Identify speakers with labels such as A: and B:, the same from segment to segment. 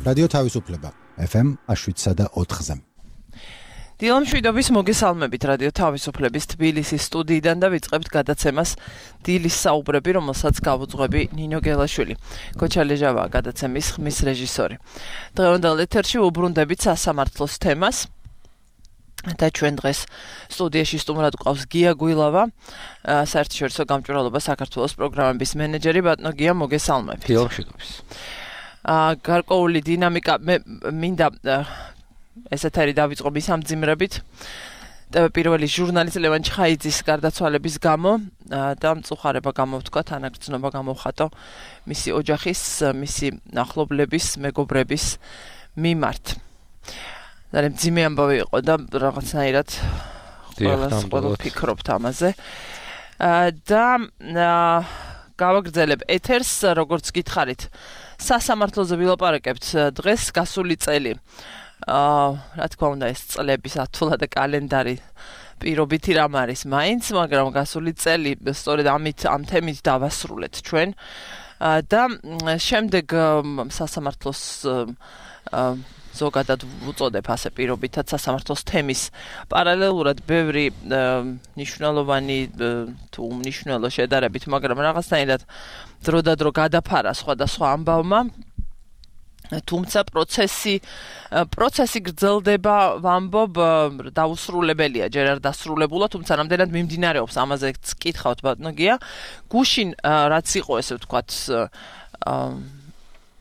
A: რადიო თავისუფლება FM 7.4-ზე.
B: დილამშვიდობის მოგესალმებით რადიო თავისუფლების თბილისის სტუდიიდან და ვიწყებთ გადაცემას დილის საუბრები, რომელსაც გავუძღვები ნინო გელაშვილი. გოჩა ლეჟავაა გადაცემის ხმის რეჟისორი. დღევანდელ ეთერში უბრუნდებით სასამართლოს თემას. და ჩვენ დღეს სტუდიაში სტუმრად გვყავს გია გვილავა, საერთაშორისო გამჭვირვალობა საქართველოს პროგრამების მენეჯერი. ბატონო გია, მოგესალმებით.
C: დილამშვიდობის.
B: გარკვეული დინამიკა მინდა ესეთ არის დავიწყო სამძიმრებით. პირველი ჟურნალისტ ლევან ჩხაიძის გარდაცვალების გამო და მწუხარება გამოვთქვა, თანაგრძნობა გამოვხატო მისი ოჯახის, მისი ახლობლების, მეგობრების მიმართ. ძალიან მძიმე ამბავი იყო და რაღაცნაირად ყველა ფიქრობთ ამაზე. და გავაგრძელებ ეთერს, როგორც გითხარით, სასამართლოზე ვილაპარაკებთ დღეს გასული წელი. რა თქმა უნდა, ეს წლების ათვლა და კალენდარი პირობითი რამ არის მაინც, მაგრამ გასული წელი სწორედ ამ თემით დავასრულეთ ჩვენ. და შემდეგ სასამართლოს ზოგადად ვუწოდებ ასე პირობითად სასამართლოს თემის პარალელურად ბევრი მნიშვნელოვანი თუ უმნიშვნელო შედარებით, მაგრამ რაღაცნაირად დრო და დრო გადაფარა სხვადასხვა ამბავმა. თუმცა პროცესი გრძელდება, ვამბობ, დაუსრულებელია, ჯერ არ დასრულებულა, თუმცა რამდენად მიმდინარეობს, ამაზეც კითხავთ ბატონო გია. გუშინ რაც იყო, ესე ვთქვათ,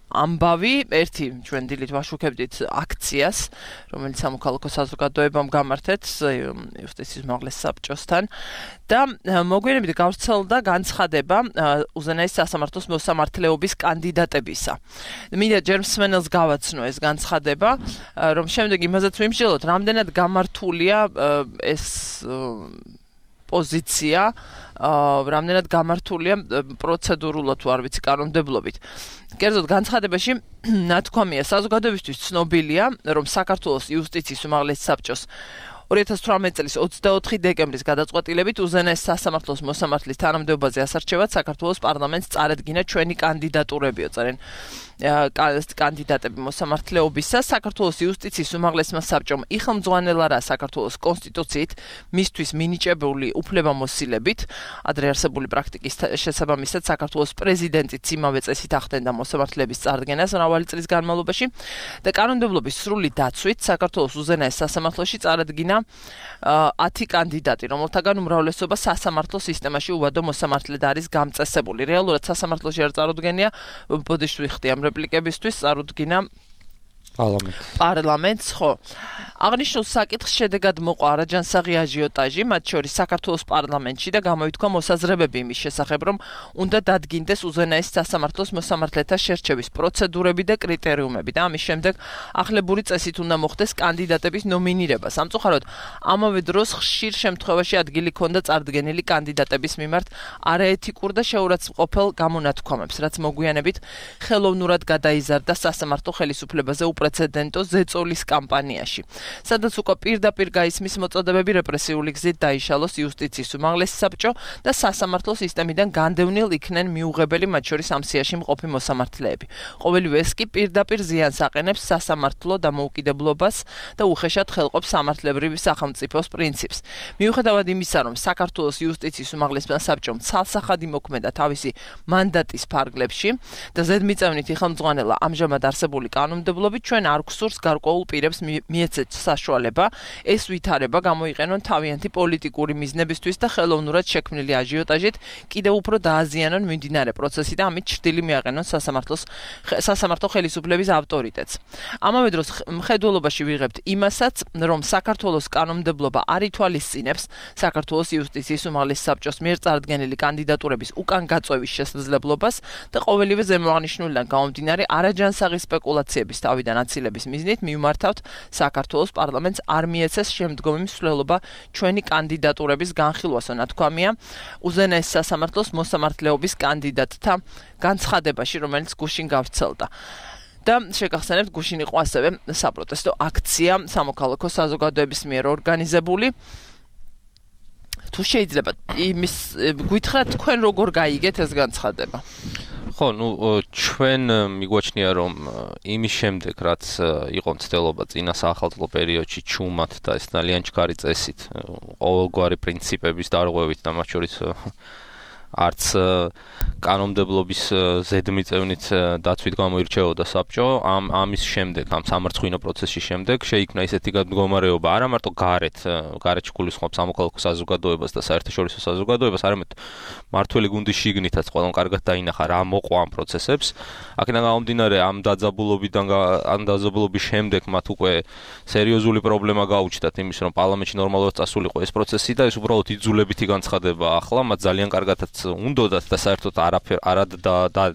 B: ამბავი, ერთი ჩვენ დილით ვაშუქებდით აქციას, რომელიც სამოქალაქო საზოგადოებამ გამართეთ იუსტიციის უმაღლეს საბჭოსთან და მოგვიანებით გავრცელდა განცხადება უზენაეს სასამართლოს მოსამართლეობის კანდიდატებისა. მინდა ჯერ მსმენელს გავაცნო ეს განცხადება, რომ შემდეგ იმაზეც ვიმსჯელოთ, რამდენად გამართულია ეს პოზიცია, რამდენად გამართულია პროცედურულად თუ არ ვიცი კანონმდებლობით. კერძოდ განცხადებაში ნათქვამია, საზოგადოებისთვის ცნობილია, რომ საქართველოს იუსტიციის უმაღლეს საბჭოს 2018 წლის 24 დეკემბრის გადაწყვეტილებით უზენაეს სასამართლოს მოსამართლის თანამდებობაზე ასარჩევად საქართველოს პარლამენტს წარედგინა ჩვენი კანდიდატურებიო, წერენ კანდიდატები მოსამართლეობისა. საქართველოს იუსტიციის უმაღლესმა საბჭომ იხელმძღვანელა რა საქართველოს კონსტიტუციით მისთვის მინიჭებული უფლებამოსილებით, ადრე არსებული პრაქტიკის შესაბამისად საქართველოს პრეზიდენტიც იმავე წესით ახდენდა მოსამართლეების წარდგენას მრავალი წლის განმავლობაში და კანონმდებლობის სრული დაცვით საქართველოს უზენაეს სასამართლოში წარადგინა 10 კანდიდატი, რომელთაგან უმრავლესობა სასამართლო სისტემაში უვადო მოსამართლედ არის გამწესებული. რეალურად სასამართლოში არ წარუდგენია, ბოდიში ვიხდი ამ რეპლიკებისთვის, წარუდგინა პარლამენტს, ხო. აღნიშნულ საკითხს შედეგად მოყვა არაჯანსაღი აჟიოტაჟი, მათ შორის საქართველოს პარლამენტში და გამოითქვა მოსაზრებები იმის შესახებ, რომ უნდა დადგინდეს უზენაეს სასამართლოს მოსამართლეთა შერჩევის პროცედურები და კრიტერიუმები და ამის შემდეგ ახლებური წესით უნდა მოხდეს კანდიდატების ნომინირება. სამწუხაროდ, ამავე დროს ხშირ შემთხვევაში ადგილი ჰქონდა წარდგენილი კანდიდატების მიმართ არაეთიკურ და შეურაცხმყოფელ გამონათქვამებს, რაც მოგვიანებით ხელოვნურად გადაიზარდა სასამართლო ხელისუფლებაზე უპრეცედენტო ზეწოლის კამპანიაში, სადაც უკვე პირდაპირ გაისმის მოწოდებები რეპრესიული გზით დაიშალოს იუსტიციის უმაღლეს საბჭო და სასამართლო სისტემიდან განდევნილ იქნენ მიუღებელი, მათ შორის ამ სიაში მყოფი მოსამართლეები. ყოველივე ეს კი პირდაპირ ზიანს აყენებს სასამართლო დამოუკიდებლობას და უხეშად ხელყოფს სამართლებრივი სახელმწიფოს პრინციპს. მიუხედავად იმისა, რომ საქართველოს იუსტიციის უმაღლესმა საბჭომ ცალსახად იმოქმედა თავისი მანდატის ფარგლებში და ზედმიწევნით იხელმძღვანელა ამჟამად არსებული კანონმდებლობით, ჩვენ არ გვსურს გარკვეულ პირებს მიეცეთ საშუალება ეს ვითარება გამოიყენონ თავიანთი პოლიტიკური მიზნებისთვის და ხელოვნურად შექმნილი აჟიოტაჟით კიდევ უფრო დააზიანონ მიმდინარე პროცესი და ამით ჩრდილი მიაყენონ სასამართლო ხელისუფლების ავტორიტეტს. ამავე დროს მხედველობაში ვიღებთ იმასაც, რომ საქართველოს კანონმდებლობა არ ითვალისწინებს საქართველოს იუსტიციის უმაღლეს საბჭოს მიერ წარდგენილი კანდიდატურების უკან გაწვევის შესაძლებლობას და ყოველივე ზემოაღნიშნულიდან გამომდინარე არაჯანსაღი სპეკულაციების თავიდან აცილების მიზნით მიმართავთ საქართველოს პარლამენტს არ მიეცეს შემდგომი მსვლელობა ჩვენი კანდიდატურების განხილვასო, ნათქვამია უზენაეს სასამართლოს მოსამართლეობის კანდიდატთა განცხადებაში, რომელიც გუშინ გავრცელდა. და შეგახსენებთ, გუშინ იყო ასევე საპროტესტო აქცია სამოქალაქო საზოგადოების მიერ ორგანიზებული. თუ შეიძლება იმის გითხრათ, თქვენ როგორ გაიგეთ ეს განცხადება?
C: ხო, ჩვენ მიგვაჩნია რომ იმის შემდეგ რაც იყო მცდელობა წინა საახალწლო პერიოდში ჩუმად და ეს ძალიან ჩქარი წესით, ყოველგვარი პრინციპების დარღვევით და მათ შორის არც კანონმდებლობის ზედმიწევნით დაცვით გამოირჩეოდა საბჭო, ამის შემდეგ, ამ სამარცხვინო პროცესის შემდეგ შეიქმნა ისეთი მდგომარეობა, არა მარტო გარეთ გულისხმობს სამოქალაქო საზოგადოებას და საერთაშორისო საზოგადოებას, არამედ მართველი გუნდის შიგნითაც ყველამ კარგად დაინახა რა მოყვა ამ პროცესებს. აქედან გამომდინარე, ამ დაძაბულობის შემდეგ მათ უკვე სერიოზული პრობლემა გაუჩნდათ იმის, რომ პარლამენტში ნორმალურად წასულიყო ეს პროცესი და ეს უბრალოდ იძულებითი განცხადება ახლა, მათ ძალიან კარგადაც უნდოდათ და საერთოდ არად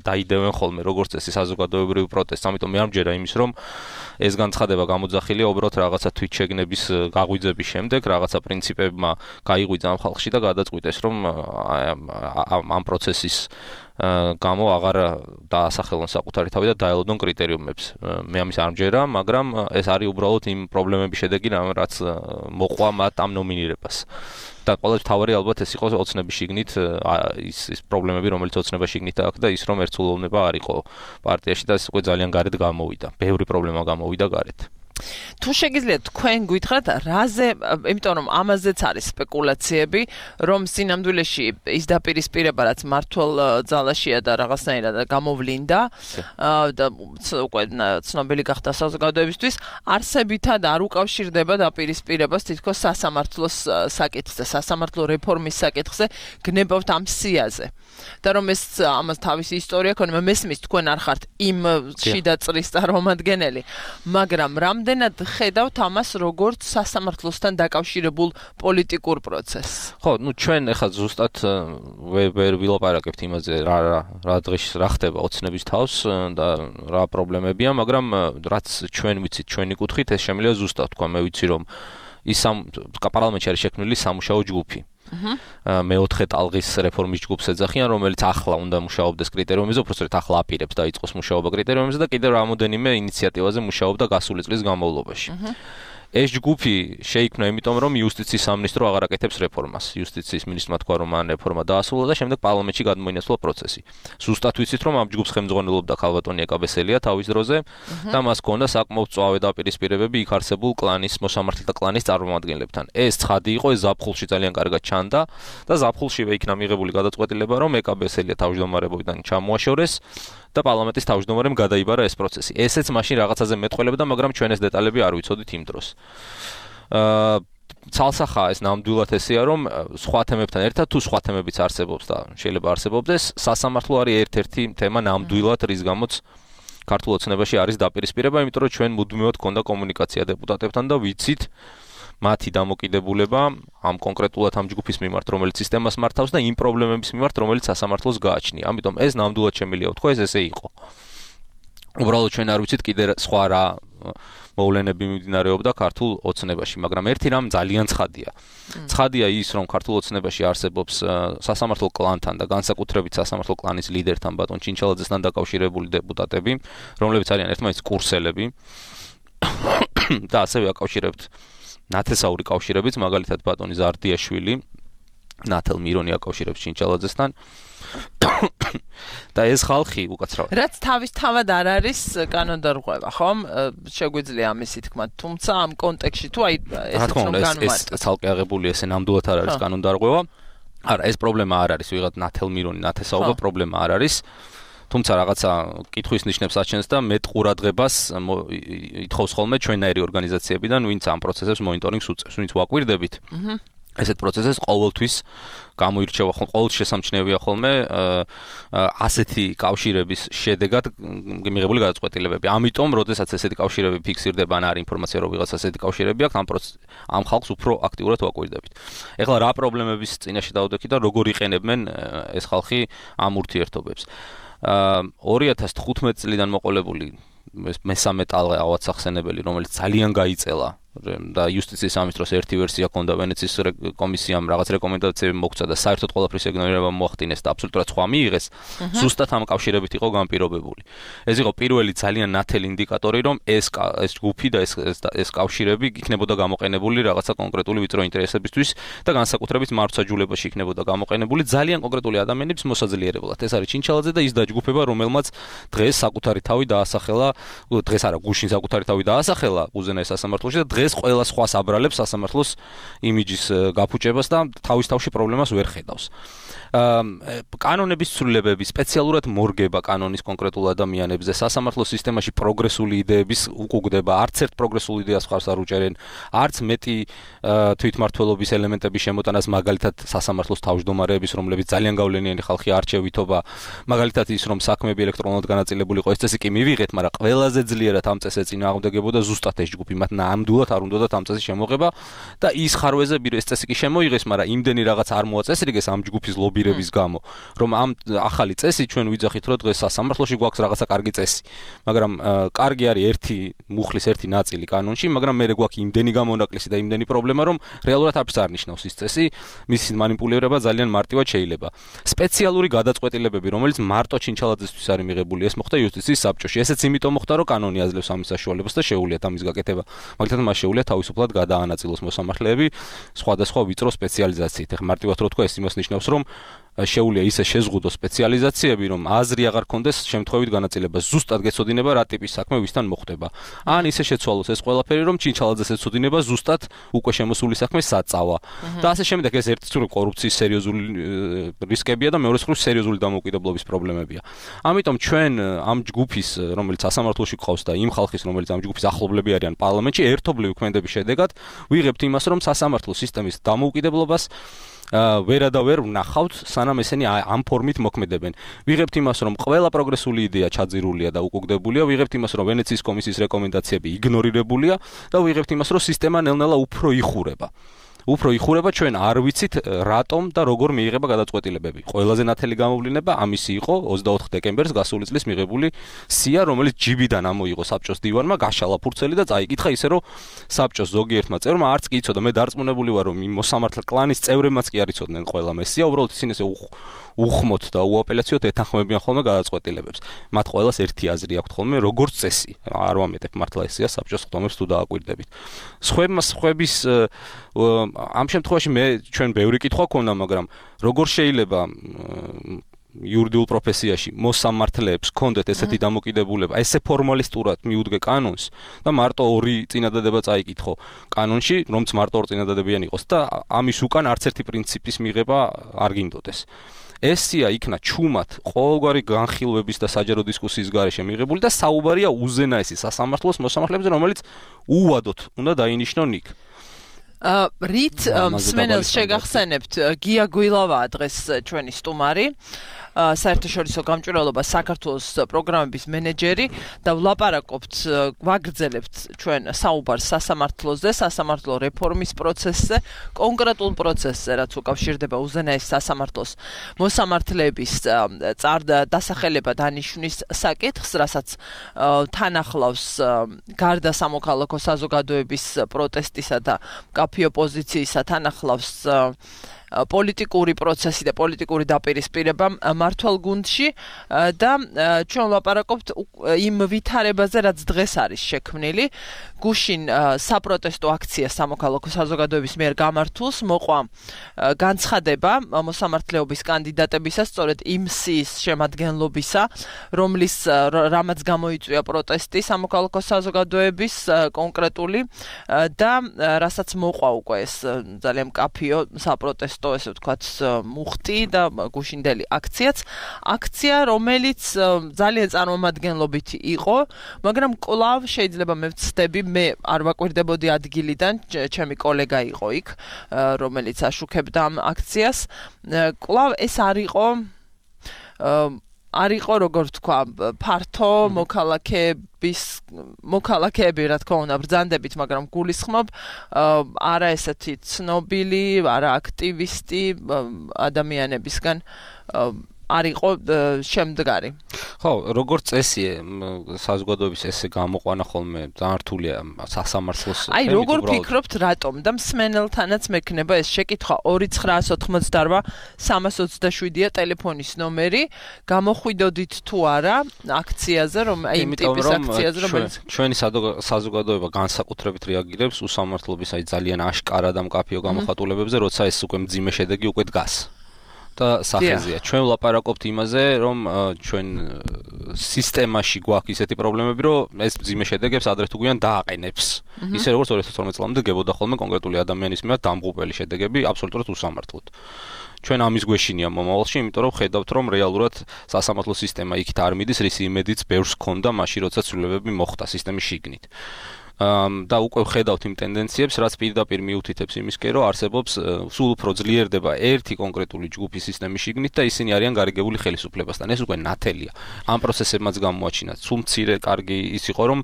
C: დაიდევენ ხოლმე როგორც წესი საზოგადოებრივ პროტესტს. ამიტომ მე არ მჯერა იმის, რომ ეს განცხადება გამოძახილია უბრალოდ რაღაცა თვითშეგნების გაღვიძების შემდეგ, რაღაცა პრინციპებმა გაიღვიძა ამ ხალხში და გადაწყვიტეს, რომ ამ პროცესის გამო აღარ დაასახელონ საკუთარი თავი და დაელოდონ კრიტერიუმებს. მე ამის არ მჯერა, მაგრამ ეს არის უბრალოდ იმ პრობლემების შედეგი, რაც მოყვა მათ ამ ნომინირებას. და ყველაზე მთავარი ალბათ ეს იყო ოცნების შიგნით ის პრობლემები, რომელიც ოცნების შიგნით აქვს და ის რომ ერთსულოვნება არ იყო პარტიაში და ეს უკვე ძალიან გარეთ გამოვიდა. ბევრი პრობლემა გამოვიდა გარეთ.
B: თუ შეგიძლიათ თქვენ გითხრათ რაზე, იმიტომ რომ ამაზეც არის სპეკულაციები, რომ სინამდვილეში ის დაპირისპირება რაც მართლ ძალაშია და რაღაცნაირად გამოვლინდა და უკვე ცნობილი გახდა საზოგადოებისთვის, არსებითად არ უკავშირდება დაპირისპირებას თითქოს სასამართლოს საკითხზე, სასამართლო რეფორმის საკითხზე, გნებავთ ამ სიაზე. და რომ ეს ამას თავისი ისტორია ქონა, მესმის თქვენ არ ხართ იმ შიდა წრის წარმომადგენელი, მაგრამ რამდენად ხედავთ ამას როგორც სასამართლოსთან დაკავშირებულ პოლიტიკურ პროცესს?
C: ხო, ჩვენ ახლა ზუსტად ვერ ვილაპარაკებთ იმაზე რა დღეს რა ხდება ოცნების თავს და რა პრობლემებია, მაგრამ რაც ჩვენ ვიცით ჩვენი კუთხით, ეს შემიძლია ზუსტად თქვა, მე ვიცი რომ ის პარლამენტში არის შექმნილი სამუშაო ჯგუფი. მეოთხე ტალღის რეფორმის ჯგუფს ეძახიან, რომელიც ახლა უნდა მუშაობდეს კრიტერიუმებზე, უბრალოდ ახლა აპირებს დაიწყოს მუშაობა კრიტერიუმებზე და კიდევ რამოდენიმე ინიციატივაზე მუშაობდა გასული წლის განმავლობაში. ეს ჯგუფი შეიქმნა იმიტომ, რომ იუსტიციის სამინისტრო აღარ აკეთებს რეფორმას. იუსტიციის მინისტრმა თქვა, რომ მან რეფორმა დაასრულა და შემდეგ პარლამენტში გადმოინაცვლა პროცესი. ზუსტად ვიცით, რომ ამ ჯგუფს ხელმძღვანელობდა ქალბატონი ეკაბესელია თავის დროზე და მას ჰქონდა საკმაოდ მწვავე დაპირისპირებები იქ არსებულ კლანის, მოსამართლეთა კლანის წარმომადგენლებთან. ეს ცხადი იყო, ეს ზაფხულში ძალიან კარგად ჩანდა და ზაფხულშივე იქნა მიღებული გადაწყვეტილება, რომ ეკაბესელია თავმჯდომარეობიდან ჩამოაშორეს და პარლამენტის თავმჯდომარემ გადაიბარა ეს პროცესი. ესეც მაშინ რაღაცაზე მეტყველებდა, მაგრამ ჩვენ ეს დეტალები არ ვიცოდით იმ დროს. ცალსახაა ეს ნამდვილად ესეა, რომ სხვა თემებთან ერთად თუ სხვა თემებიც არსებობს და შეიძლება არსებობდეს, სასამართლო არის ერთ-ერთი თემა ნამდვილად, რის გამოც ქართულ ოცნებაში არის დაპირისპირება, იმიტომ რომ ჩვენ მუდმივად გქონდა კომუნიკაცია დეპუტატებთან და ვიცით მათი დამოკიდებულება ამ კონკრეტულად ამ ჯგუფის მიმართ, რომელიც სისტემას მართავს და იმ პრობლემების მიმართ, რომელიც სასამართლოს გააჩნია. ამიტომ ეს ნამდვილად შემიძლია ვთქვა, ეს ესე იყო. უბრალოდ ჩვენ არ ვიცით კიდე სხვა რა მოვლენები მიმდინარეობდა ქართულ ოცნებაში, მაგრამ ერთი რამ ძალიან ცხადია. ცხადია ის, რომ ქართულ ოცნებაში არსებობს სასამართლო კლანთან და განსაკუთრებით სასამართლო კლანის ლიდერთან ბატონ ჩინჩალაძესთან დაკავშირებული დეპუტატები, რომლებიც არიან ერთმანეთის კურსელები და ასევე აკავშირებთ ნათესაური კავშირებიც, მაგალითად ბატონი ზარდიაშვილი, ნათელ მირონი აკავშირებს ჩინჩალაძესთან. და ეს ხალხი უკაცრავად.
B: რაც თავისთავად არ არის კანონდარღვევა, ხომ? შეგვიძლია ამისი თქმა, თუმცა ამ კონტექსტში თუ აი ესეც რომ განმარტოთ.
C: ეს ცალკე აღებული ესე ნამდვილად არ არის კანონდარღვევა. არა, ეს პრობლემა არ არის, ვიღაც ნათელ მირონი ნათესაობა პრობლემა არ არის. თუმცა რაღაცა კითხვის ნიშნებს აჩენს და მეტ ყურადღებას ითხოვს ხოლმე ჩვენაირი ორგანიზაციებიდან, ვინც ამ პროცესებს მონიტორინგს უწევს, ვინც ვაკვირდებით. ესეთ პროცესებს ყოველთვის გამოირჩევა ხოლმე, ყოველთვის შესამჩნევია ხოლმე ასეთი კავშირების შედეგად მიღებული გადაწყვეტილებები. ამიტომ, როდესაც ესეთი კავშირები ფიქსირდება, ან არის ინფორმაცია, რომ ვიღაც ასეთი კავშირები აქვს, ამ ხალხს უფრო აქტიურად ვაკვირდებით. ეხლა რა პრობლემების წინაშე დავდექით და როგორ იყენებენ ეს ხალხი ამ ურთიერთობებს. 2015 წლიდან მოყოლებული მესამე ტალღა ავად სახსენებელი, რომელიც ძალიან გაიწელა და იუსტიციის სამინისტროს ერთი ვერსია ჰქონდა ვენეციის კომისიამ რაღაც რეკომენდაციები მოგცა და საერთოდ ყველაფრის ეგნორირება მოახდინეს და აბსოლუტურად სხვა მიიღეს, ზუსტად ამ კავშირებით იყო განპირობებული. ეს იყო პირველი ძალიან ნათელი ინდიკატორი, რომ ეს ჯგუფი და ეს კავშირები იქნებოდა გამოყენებული რაღაცა კონკრეტული ვიწრო ინტერესებისთვის და განსაკუთრებით მარცხაჯულებაში იქნებოდა გამოყენებული ძალიან კონკრეტული ადამიანების მოსაძლიერებლად. ეს არის ჩინჩალაძე და ის დაჯგუფება, რომელმაც დღეს საკუთარი თავი დაასახელა, დღეს არა, გუშინ საკუთარი თავი დაასახელა უზენაეს სასამართლოში და დღეს ყველა სხვას აბრალებს სასამართლოს იმიჯის გაფუჭებას და თავის თავში პრობლემას ვერ ხედავს. კანონების ცვლილებები სპეციალურად მორგება კანონის კონკრეტულ ადამიანებზე, სასამართლოს სისტემაში პროგრესული იდეების უკუგდება, არც ერთ პროგრესულ იდეას ხარს არ უჭერენ, არც მეტი თვითმმართველობის ელემენტების შემოტანას, მაგალითად სასამართლოს თავმჯდომარეების, რომლებიც ძალიან გავლენიანი ხალხი არჩევითობა, მაგალითად ის რომ საქმეები ელექტრონულად განაწილებული იყო, ეს წესი კი მივიღეთ, მაგრამ ყველაზე ძლიერად ამ წესზე წინააღმდეგებოდა ზუსტად ეს ჯგუფი, მათ ნამდვილად არ უნდათ ამ წესის შემოღება და ის ხარვეზები ეს წესი კი შემოიღეს, მაგრამ იმდენი რაღაც არ მოაწესრიგეს ამ ჯგუფის ლობირების გამო, რომ ამ ახალი წესი ჩვენ ვიძახით, რომ დღეს სასამართლოში გვაქვს რაღაცა კარგი წესი, მაგრამ კარგი არის ერთი მუხლის ერთი ნაწილი კანონში, მაგრამ მე გვაქვს იმდენი გამონაკლისი და იმდენი პრობლემა, რომ რეალურად არც არ ნიშნავს ის წესი, მისი манипулირება ძალიან მარტივად შეიძლება. სპეციალური გადაწყვეტილებები, რომელიც მარტო ჩინჩალაძესთვის არის მიღებული, ეს მოხდა იუსტიციის საბჭოში. ესეც იმიტომ მოხდა, რომ კანონი აძლევს ამის საშუალებას და შეუულიათ ამის გაკეთება. მაგალითად, მას შეუულიათ თავისუფლად გადაანაწილოს მოსამართლეები სხვადასხვა ვიწრო სპეციალიზაციით. ეხლა მარტივად რო თქვა, ეს იმას ნიშნავს, რომ შეუძლია ისე შეზღუდოს სპეციალიზაციები, რომ აზრი აღარ კონდეს შემთხვევით განაწილება. ზუსტად გეცოდინება რა ტიპის საქმე ვისთან მოხდება. ან ისე შეცვალოს ეს ყველაფერი, რომ ჩინჩალაძეს ეცოდინება ზუსტად უკვე შემოსული საქმე საწავა. და ასე შემდეგ ეს ერთი მხრივ კორუფციის სერიოზული რისკებია და მეორე მხრივ სერიოზული დამოუკიდებლობის პრობლემებია. ამიტომ ჩვენ ამ ჯგუფის, რომელიც სასამართლოში გყავს და იმ ხალხის, რომელიც ამ ჯგუფის ახლობლები არიან პარლამენტში, ერთობლივი ქმედების შედეგად ვიღებთ იმას, რომ სასამართლო სისტემის დამოუკიდებლობას ვერ ვნახავთ, სანამ ესენი ამ ფორმით მოქმედებენ. ვიღებთ იმას, რომ ყველა პროგრესული იდეა ჩაძირულია და უკუგდებულია, ვიღებთ იმას, რომ ვენეციის კომისიის რეკომენდაციები იგნორირებულია და ვიღებთ იმას, რომ სისტემა ნელ-ნელა უფრო იხურება, ჩვენ არ ვიცით რატომ და როგორ მიიღება გადაწყვეტილებები. ყველაზე ნათელი გამოვლინება ამისი იყო 24 დეკემბერს გასული წლის მიღებული სია, რომელიც ჯიბიდან ამოიღო საბჭოს დივანმა, გაშალა ფურცელი და წაიკითხა ისე, რომ საბჭოს ზოგიერთმა წევრმა არც კი იცოდა, მე დარწმუნებული ვარ, რომ იმ მოსამართლე კლანის წევრებმაც კი არ იცოდნენ ყველა მესია, უბრალოდ ისინი ესე უხმოთ და უაპელაციოდ ეთანხმებიან ხოლმე გადაწყვეტილებებს. მათ ყველას ერთი აზრი აქვთ ხოლმე, როგორც წესი. არ ვამეტებ მართლა ესია საბჭოს ხდომებს თუ დააკვირდებით. სხვების ამ შემთხვევაში ჩვენ ბევრი კითხვა ქონდა, მაგრამ როგორ შეიძლება იურიდიულ პროფესიაში მოსამართლეებს ჰქონდეთ ესეთი დამოკიდებულება, ესე ფორმალისტურად მიუდგე კანონს და მარტო ორი წინადადება წაიკითხო კანონში, რომც მარტო ორი წინადადებიანი იყოს და ამის უკან არც ერთი პრინციპის მიღება არ გინდოდეს. ეს სია იქნა ჩუმად ყოველგვარი განხილვების და საჯარო დისკუსიის გარეშე მიღებული და საუბარია უზენაესი სასამართლოს მოსამართლეებზე, რომელიც უვადოთ უნდა დაინიშნონ იქ.
B: რით მსმენელს შეგახსენებთ, გია გვილავაა დღეს ჩვენი სტუმარი, საერთაშორისო გამჭვირვალობა საქართველოს პროგრამების მენეჯერი და ვლაპარაკობთ, ვაგრძელებთ ჩვენ საუბარს სასამართლოზე, სასამართლო რეფორმის პროცესზე, კონკრეტულ პროცესზე, რაც უკავშირდება უზენაეს სასამართლოს მოსამართლეების დასახელება დანიშვნის საკითხს, რასაც თან ახლავს გარდა სამოქალაქო საზოგადოების პროტესტისა და მკაფიო პოზიციისა თან ახლავს პოლიტიკური პროცესი და პოლიტიკური დაპირისპირება მართვალ გუნდში და ჩვენ ვლაპარაკობთ იმ ვითარებაზე, რაც დღეს არის შექმნილი. გუშინ საპროტესტო აქცია სამოქალაქო საზოგადოების მიერ გამართულს მოყვა განცხადება მოსამართლეობის კანდიდატებისას, სწორედ იმ სიის შემადგენლობისა, რამაც გამოიწვია პროტესტი სამოქალაქო საზოგადოების კონკრეტული და რასაც მოყვა უკვე ეს ძალიან მკაფიო საპროტესტო, ესე ვთქვათ, მუხტი და გუშინდელი აქცია, რომელიც ძალიან წარმომადგენლობითი იყო, მაგრამ კვლავ შეიძლება მე ვცდები, მე არ ვაკვირდებოდი ადგილიდან, ჩემი კოლეგა იყო იქ, რომელიც აშუქებდა ამ აქციას. კვლავ ეს არ იყო, როგორ ვთქვა, ფართო მოქალაქეები, რა თქმა უნდა, ბრძანდებით, მაგრამ გულისხმობ, არა ესეთი ცნობილი, არა აქტივისტი ადამიანებისგან არ იყო შემდგარი.
C: ხო, როგორც წესია, საზოგადოების ესე გამოყვანა ხოლმე ძალიან რთულია სასამართლოს.
B: აი, როგორ ფიქრობთ, რატომ და მსმენელთანაც მექნება ეს შეკითხვა 2988 327-ია ტელეფონის ნომერი, გამოხვიდოდით თუ არა აქციაზე, რომ აი იმ ტიპის აქციაზე, რომელიც
C: ჩვენი საზოგადოება განსაკუთრებით რეაგირებს უსამართლობის აი ძალიან აშკარა და მკაფიო გამოხატულებებზე, როცა ეს უკვე მძიმე შედეგი უკვე დგას. და სახეზეა. ჩვენ ვლაპარაკობთ იმაზე, რომ ჩვენ სისტემაში გვაქვს ისეთი პრობლემები, რომ ეს მძიმე შედეგებს ადრე თუ გვიან დააყენებს. ისე როგორც 2012 წლამდე გებოდა ხოლმე კონკრეტული ადამიანის მიმართ დამღუპველი შედეგები აბსოლუტურად უსამართლოდ. ჩვენ ამის გვეშინია მომავალში, იმიტომ რომ ხედავთ, რომ რეალურად სასამართლო სისტემა იქით არ მიდის, რის იმედიც ბევრს ჰქონდა მაშინ, როცა ცვლილებები მოხდა სისტემის შიგნით. და უკვე ხედავთ იმ ტენდენციებს, რაც პირდაპირ მიუთითებს იმისკენ, რომ არსებობს სულ უფრო ძლიერდება ერთი კონკრეტული ჯგუფი სისტემის შიგნით და ისინი არიან გარიგებული ხელისუფლებასთან. ეს უკვე ნათელია. ამ პროცესებმაც გამოაჩინა. სულ მცირე კარგი ის იყო, რომ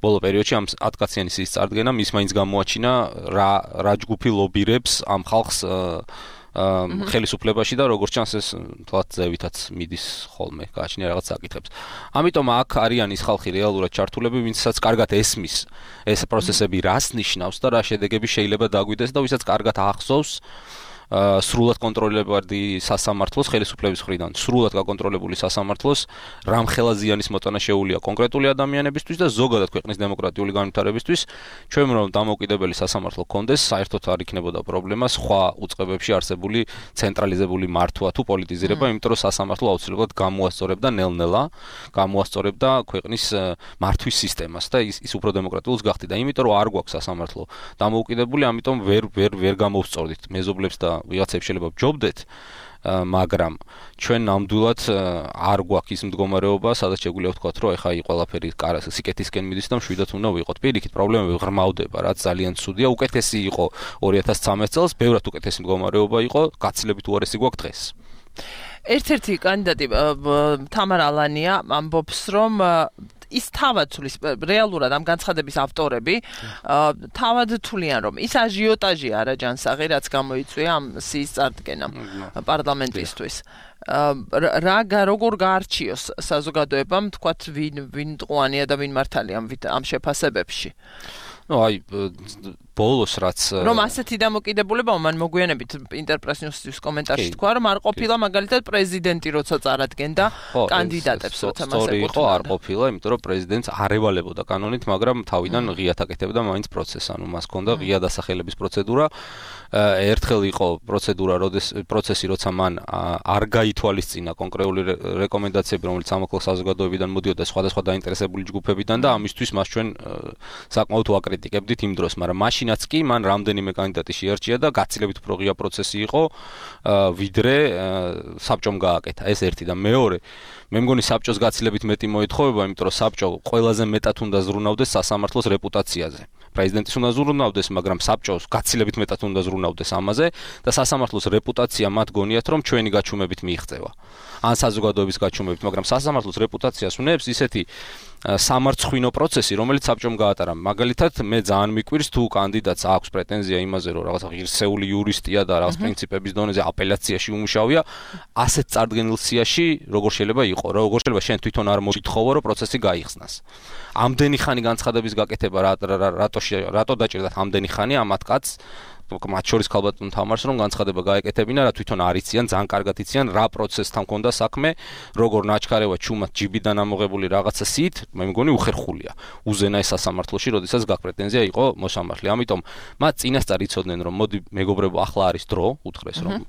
C: ბოლო პერიოდში ამ 10 კაციანი სიის წარდგენამ ის მაინც გამოაჩინა რა ჯგუფი ლობირებს ამ ხალხს ხელისუფლებაში და როგორც ჩანს ეს თვალთ ზევითაც მიდის ხოლმე გააჩნია რაღაც საკითხებს. ამიტომ აქ არიან ის ხალხი რეალურად ჩართულები, ვინცაც კარგად ესმის ეს პროცესები რას ნიშნავს და რა შედეგები შეიძლება დაგვიდეს და ვისაც კარგად ახსოვს სრულად კონტროლებადი სასამართლოს ხელისუფლების მხრიდან, სრულად გაკონტროლებული სასამართლოს რამხელა ზიანის მოტანა შეუულია კონკრეტული ადამიანებისთვის და ზოგადად ქვეყნის დემოკრატიული განვითარებისთვის. ჩვენ რომ დამოუკიდებელი სასამართლო კონდეს, საერთოდ არ იქნებოდა პრობლემა სხვა უწყებებში არსებული ცენტრალიზებული მართვა თუ პოლიტიზირება, იმიტომ რომ სასამართლო აუცილებლად გამოასწორებდა ნელ-ნელა, გამოასწორებდა ქვეყნის მართვის სისტემას და ის უფრო დემოკრატიულს გახდიდა. იმიტომ რომ არ გვაქვს სასამართლო დამოუკიდებელი, ამიტომ ვერ გამოვსწორდით მეზობლებს და ვიღაცებს შეიძლება ვჯობდეთ, მაგრამ ჩვენ ნამდვილად არ გვაქვს ის მდგომარეობა, სადაც შეგვიძლია ვთქვათ, რომ ეხა ყველაფერი სიკეთისკენ მიდის და მშვიდად უნდა ვიყოთ. პირიქით, პრობლემები ღრმავდება, რაც ძალიან ცუდია. უკეთესი იყო 2013 წელს, ბევრად უკეთესი მდგომარეობა იყო, გაცილებით უარესი გვაქვს დღეს.
B: ერთ-ერთი კანდიდატი თამარ ალანია ამბობს, რომ ის თავად თulis რეალურად ამ განცხადების ავტორები თავად თვლიან, რომ ის აჟიოტაჟი არა ჯანსაღი, რაც გამოიწვია ამ სიის წარდგენამ პარლამენტისთვის. როგორ გაარჩიოს საზოგადოებამ, თქვათ, ვინ მტყუანია და ვინ მართალია ამ შეფასებებში?
C: აი ბოლოს რაც
B: რომ ასეთი დამოკიდებულება მან მოგვიანებით ინტერპრესნიუსის კომენტარში თქვა, რომ არ ყოფილა მაგალითად პრეზიდენტი როცა წარადგენდა კანდიდატებს, როცა მას
C: ეკუთვნოდა. არ ყოფილა, იმიტომ რომ პრეზიდენტს არ ევალებოდა კანონით, მაგრამ თავიდან ღიად აკეთებდა მაინც პროცესს, ანუ მას ჰქონდა ღია დასახელების პროცედურა. ერთხელ იყო პროცესი, როცა მან არ გაითვალისწინა კონკრეტული რეკომენდაციები, რომელიც სამოქალაქო საზოგადოებიდან მოდიოდა სხვადასხვა დაინტერესებული ჯგუფებიდან და ამისთვის მას ჩვენ საკმაოდ ვაკრიტიკებდით იმ დროს, მაგრამ მაშინაც კი მან რამდენიმე კანდიდატი შეარჩია და გაცილებით უფრო ღია პროცესი იყო, ვიდრე საბჭომ გააკეთა. ეს ერთი და მეორე, მე მგონი საბჭოს გაცილებით მეტი მოეთხოვება, იმიტომ რომ საბჭო ყველაზე მეტად უნდა ზრუნავდეს სასამართლოს რეპუტაციაზე. პრეზიდენტის უნდა ზრუნავდეს, მაგრამ საბჭოს გაცილებით მეტად უნდა ზრუნავდეს ამაზე და სასამართლოს რეპუტაცია მათ გონიათ, რომ ჩვენი გაჩუმებით მიიღწევა. ან საზოგადოების გაჩუმებით, მაგრამ სასამართლოს რეპუტაციას უნებს ისეთი სამარცხვინო პროცესი, რომელიც საბჭომ გაატარა. მაგალითად, მე ძალიან მიკვირს თუ კანდიდატს აქვს პრეტენზია იმაზე, რომ რაღაცა ღირსეული იურისტია და რაღაც პრინციპების დონეზე აპელაციაში უმუშავია, ასეთ წარდგენილ სიაში როგორ შეიძლება იყო, როგორ შეიძლება შენ თვითონ არ მოითხოვო, რომ პროცესი გაიხსნას. ამდენი ხანი განცხადების გაკეთება რატო დაჭირდათ ამდენი ხანი ამათ კაცს? მათ შორის ქალბატონ თამარს რომ განცხადება გაეკეთებინა, რა თვითონ არ იციან, ძალიან კარგად იციან რა პროცესთან ჰქონდა საქმე, როგორ ნაჩქარევა ჩუმად ჯიბიდან ამოღებული რაღაცა სიით, მე მგონი უხერხულია. უზენა ეს სასამართლოში, როდესაც გაქვს პრეტენზია იყო მოსამართლე. ამიტომ მათ წინასწარ იცოდნენ, რომ მოდი მეგობრებო, ახლა არის დრო, უთხრეს რომ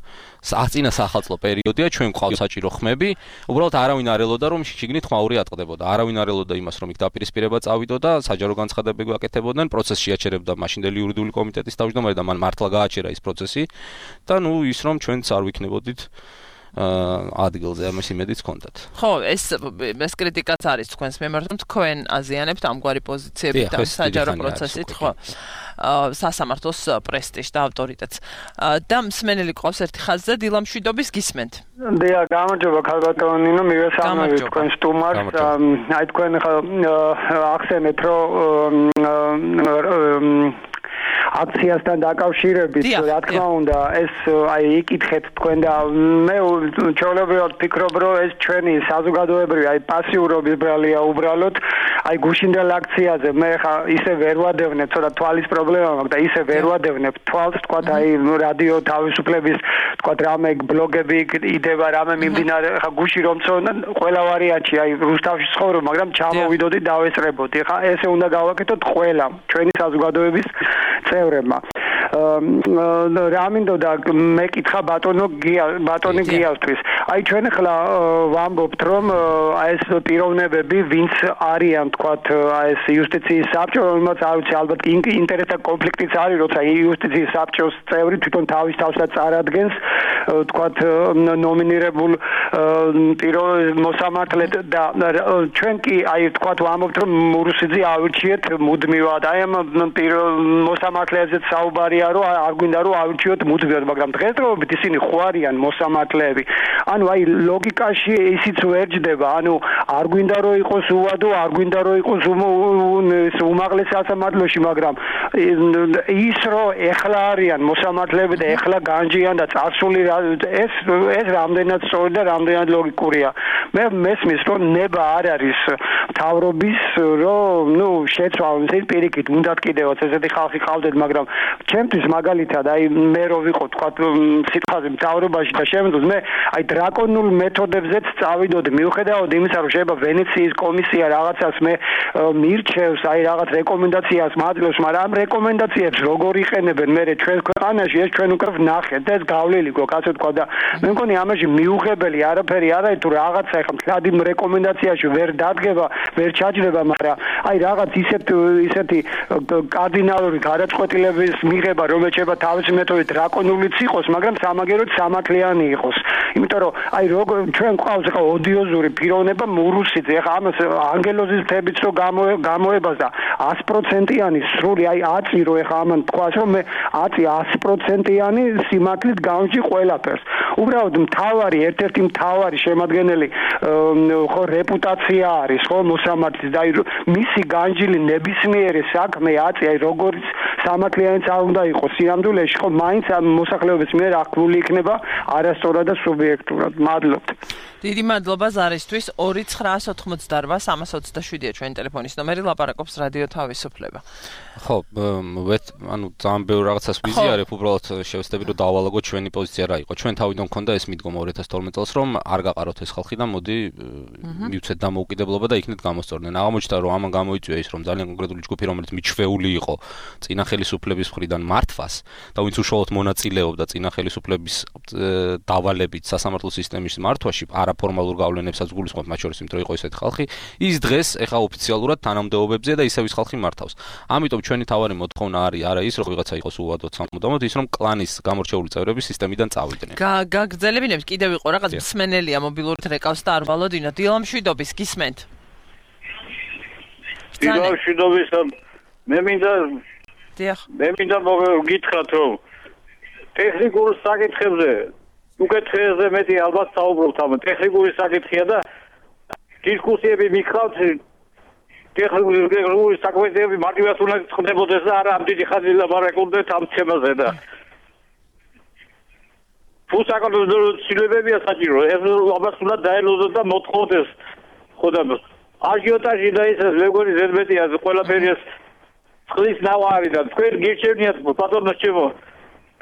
C: წინა საახალწლო პერიოდია, ჩვენ გვყავს საჭირო ხმები, უბრალოდ არავინ არ ელოდა რომ შიგნით ხმაური ატყდებოდა. არავინ არ ელოდა იმას, რომ იქ დაპირისპირება წავიდო და საჯარო განცხადებები გაკეთებოდნენ, პროცესში აჩერებდა მაშინდელი იურიდიული კომიტეტის თავმჯდომარე და მან მართლა გააჩერა ის პროცესი და ნუ ის რომ ჩვენც არ ვიქნებოდით ადგილზე ამის იმედიც ჰქონდათ.
B: ხო, ეს კრიტიკაც არის თქვენს მიმართ, რომ თქვენ აზიანებთ ამგვარი პოზიციებით და საჯარო პროცესით, ხო, სასამართლოს პრესტიჟს და ავტორიტეტს. და მსმენელი ყავს ერთი ხაზზე, დილამშვიდობის გისმენთ.
D: დიახ, გამარჯობა ქალბატონო ნინო, მივესალმებით თქვენ სტუმარს. აი თქვენ ახსენეთ, რომ აქციასთან დაკავშირებით, რა თქმა უნდა, ეს აი იკითხეთ თქვენ და მე ჩვეულებრივად ფიქრობ, რომ ეს ჩვენი საზოგადოებრივი აი პასიურობის ბრალია უბრალოდ აი გუშინდელ აქციაზე მე ხა ისე ვერ ვადევნებ, ცოტა თვალის პრობლემა მაქვს და ისე ვერ ვადევნებ თვალს, თქვა აი რადიო თავისუფლების თქვა რამე ბლოგები იდება, რამე მიმდინარე, ხა გუში რომ წონან ყველა ვარიანტი აი რუსთავში ცხოვრობ, მაგრამ ჩამოვიდოდი დავესწრებოდი. ხა ესე უნდა გავაკეთოთ ყველამ, ჩვენი საზოგადოების წევრებმა. რა მინდოდა მეკითხა ბატონი გიავთვის. აი ჩვენ ახლა ვამბობთ რომ აი ეს პიროვნებები ვინც არიან თქვათ აი ეს იუსტიციის საბჭო, რომელსაც არ ვიცი ალბათ ინტერესთა კონფლიქტიც არის, როცა იუსტიციის საბჭოს წევრი თვითონ თავის თავსაც წარადგენს თქვათ ნომინირებულ მოსამართლედ და ჩვენ კი აი თქვათ ვამბობთ რომ მურუსიძე ავირჩიეთ მუდმივად. აი ამ მოსამართლეებზეც საუბარია რომ არ გვინდა რომ ავირჩიოთ მუდმივად, მაგრამ დღესდღეობით ისინი ხო არიან მოსამართლეები. ანუ აი ლოგიკაში ისიც ვერჯდება, ანუ არ გვინდა რომ იყოს უვადო, არ გვინდა რომ იყოს უმაღლეს სასამართლოში, მაგრამ ის რომ ეხლა არიან მოსამართლეები და ეხლა განჯიან და წარსული ეს რამდენად სწორი და რამდენად ლოგიკურია. მე მესმის რომ ნება არ არის მთავრობის რომ შეცვალონ ეს პირიქით უნდათ კიდევაც ესეთი ხალხი ყავდეთ, მაგრამ ჩემთვის მაგალითად აი მე რო ვიყო თქვა სიტყვაზე მთავრობაში და შემდგომ მე აი დრაკონულ მეთოდებზეც წავიდოდი, მიუხედავად იმისა რომ შეიძლება ვენეციის კომისია რაღაცას მე მირჩევს აი რაღაც რეკომენდაციას მაძლევს, მაგრამ ამ რეკომენდაციებს როგორ იყენებენ მე ჩვენ ქვეყანაში ეს ჩვენ უკვე ვნახეთ და ეს გავლილი გვაქვს ასე თქვა და მე მგონი ამაში მიუღებელი არაფერი არ არის თუ რაღაცა ეხლა მთლადი რეკომენდაციაში ვერ დადგება, ვერ ჩაჯდება, მაგრამ აი რაღაც ისეთი კარდინალური გადაწყვეტილების მიღება, რომელიც შეიძლება თავისი მეთოდით დრაკონულიც იყოს, მაგრამ სამაგეროდ სამართლიანი იყოს. იმიტომ რომ აი როგორ ჩვენ ყავს ახლა ოდიოზური პიროვნება მურუსიძე, ახლა ამას ანგელოზის თებიც რო გამოებას და 100%-იანი სრული აი 10 რო ახლა ამან თქვას რომ მე 100%-იანი სიმართლით გამჭი ყველაფერს. უბრალოდ მთავარი ერთ-ერთი მთავარი შემადგენელი ხო რეპუტაცია არის ხო მოსამართლის და მისი განჯილი ნებისმიერი საქმე აი როგორც სამართლიანიც არ უნდა იყოს სიამდვილეში ხო მაინც ამ მოსახლეობის მიერ აღქმული იქნება არასწორად და სუბიექტურად. მადლობთ.
B: დიდი მადლობა ზარისთვის. 2988-327-ია ჩვენი ტელეფონის ნომერი, ლაპარაკობს რადიო თავისუფლება.
C: ხო, ანუ ძალიან ბევრ რაღაცას ვიზიარებ, უბრალოდ შევეცდები რომ დავალაგოთ ჩვენი პოზიცია რა იყო. ჩვენ თავიდან მქონდა ეს მიდგომა 2012 წელს რომ არ გაყაროთ ეს ხალხი და მოდი მივცეთ დამოუკიდებლობა და იქნებ გამოსწორდნენ. აღმოჩნდა რომ ამან გამოიწვია ის რომ ძალიან კონკრეტული ჯგუფი რომელიც მიჩვეული იყო წინა ხელისუფლების მხრიდან მართვას და ვინც უშუალოდ მონაწილეობდა წინა ხელისუფლების დავალებით სასამართლო სისტემის მართვაში არაფორმალურ გავლენებსაც გულისხმობ, მათ შორის იმიტომ იყო ესეთი ხალხი, ის დღეს ეხა ოფიციალურად თანამდებობებზე და ისევ ის ხალხი მართავს. ამიტომ ჩვენი თავარი მოთხოვნა არის არა ის რომ ვიღაცა იყოს უვადოდ სამუდამოდ, ის რომ კლანის გამორჩეული წევრები სისტემიდან წავიდნენ.
B: გაგრძელებინებს კიდევ იყო რაღაც მსმენელია მობილურით რეკავს და არ ვალოდინა. დილამშვიდობის გისმენთ.
E: დილამშვიდობის მე მინდა გითხრათ რომ ტექნიკურ საკითხებზე უკეთესზე მეტი ალბათ საუბრობთ ამ ტექნიკური საკითხია და დისკუსიები მიხავთ ტექნიკური საქმეები მარტივად უნდა ხდებოდეს და არა ამ დიდი ხანი ლაპარაკობდეთ ამ თემაზე და თუ საკონტროლო ცვლილებებია საჭირო ეს ამას უნდა დაელოდოთ და მოთხოვოთ ეს ხოდა აჟიოტაჟი და ეს ლეგორი ზედმეტია ყველაფერი ეს წყლის ნავარი და თქვენ გირჩევნიათ პატრონოს ჩემო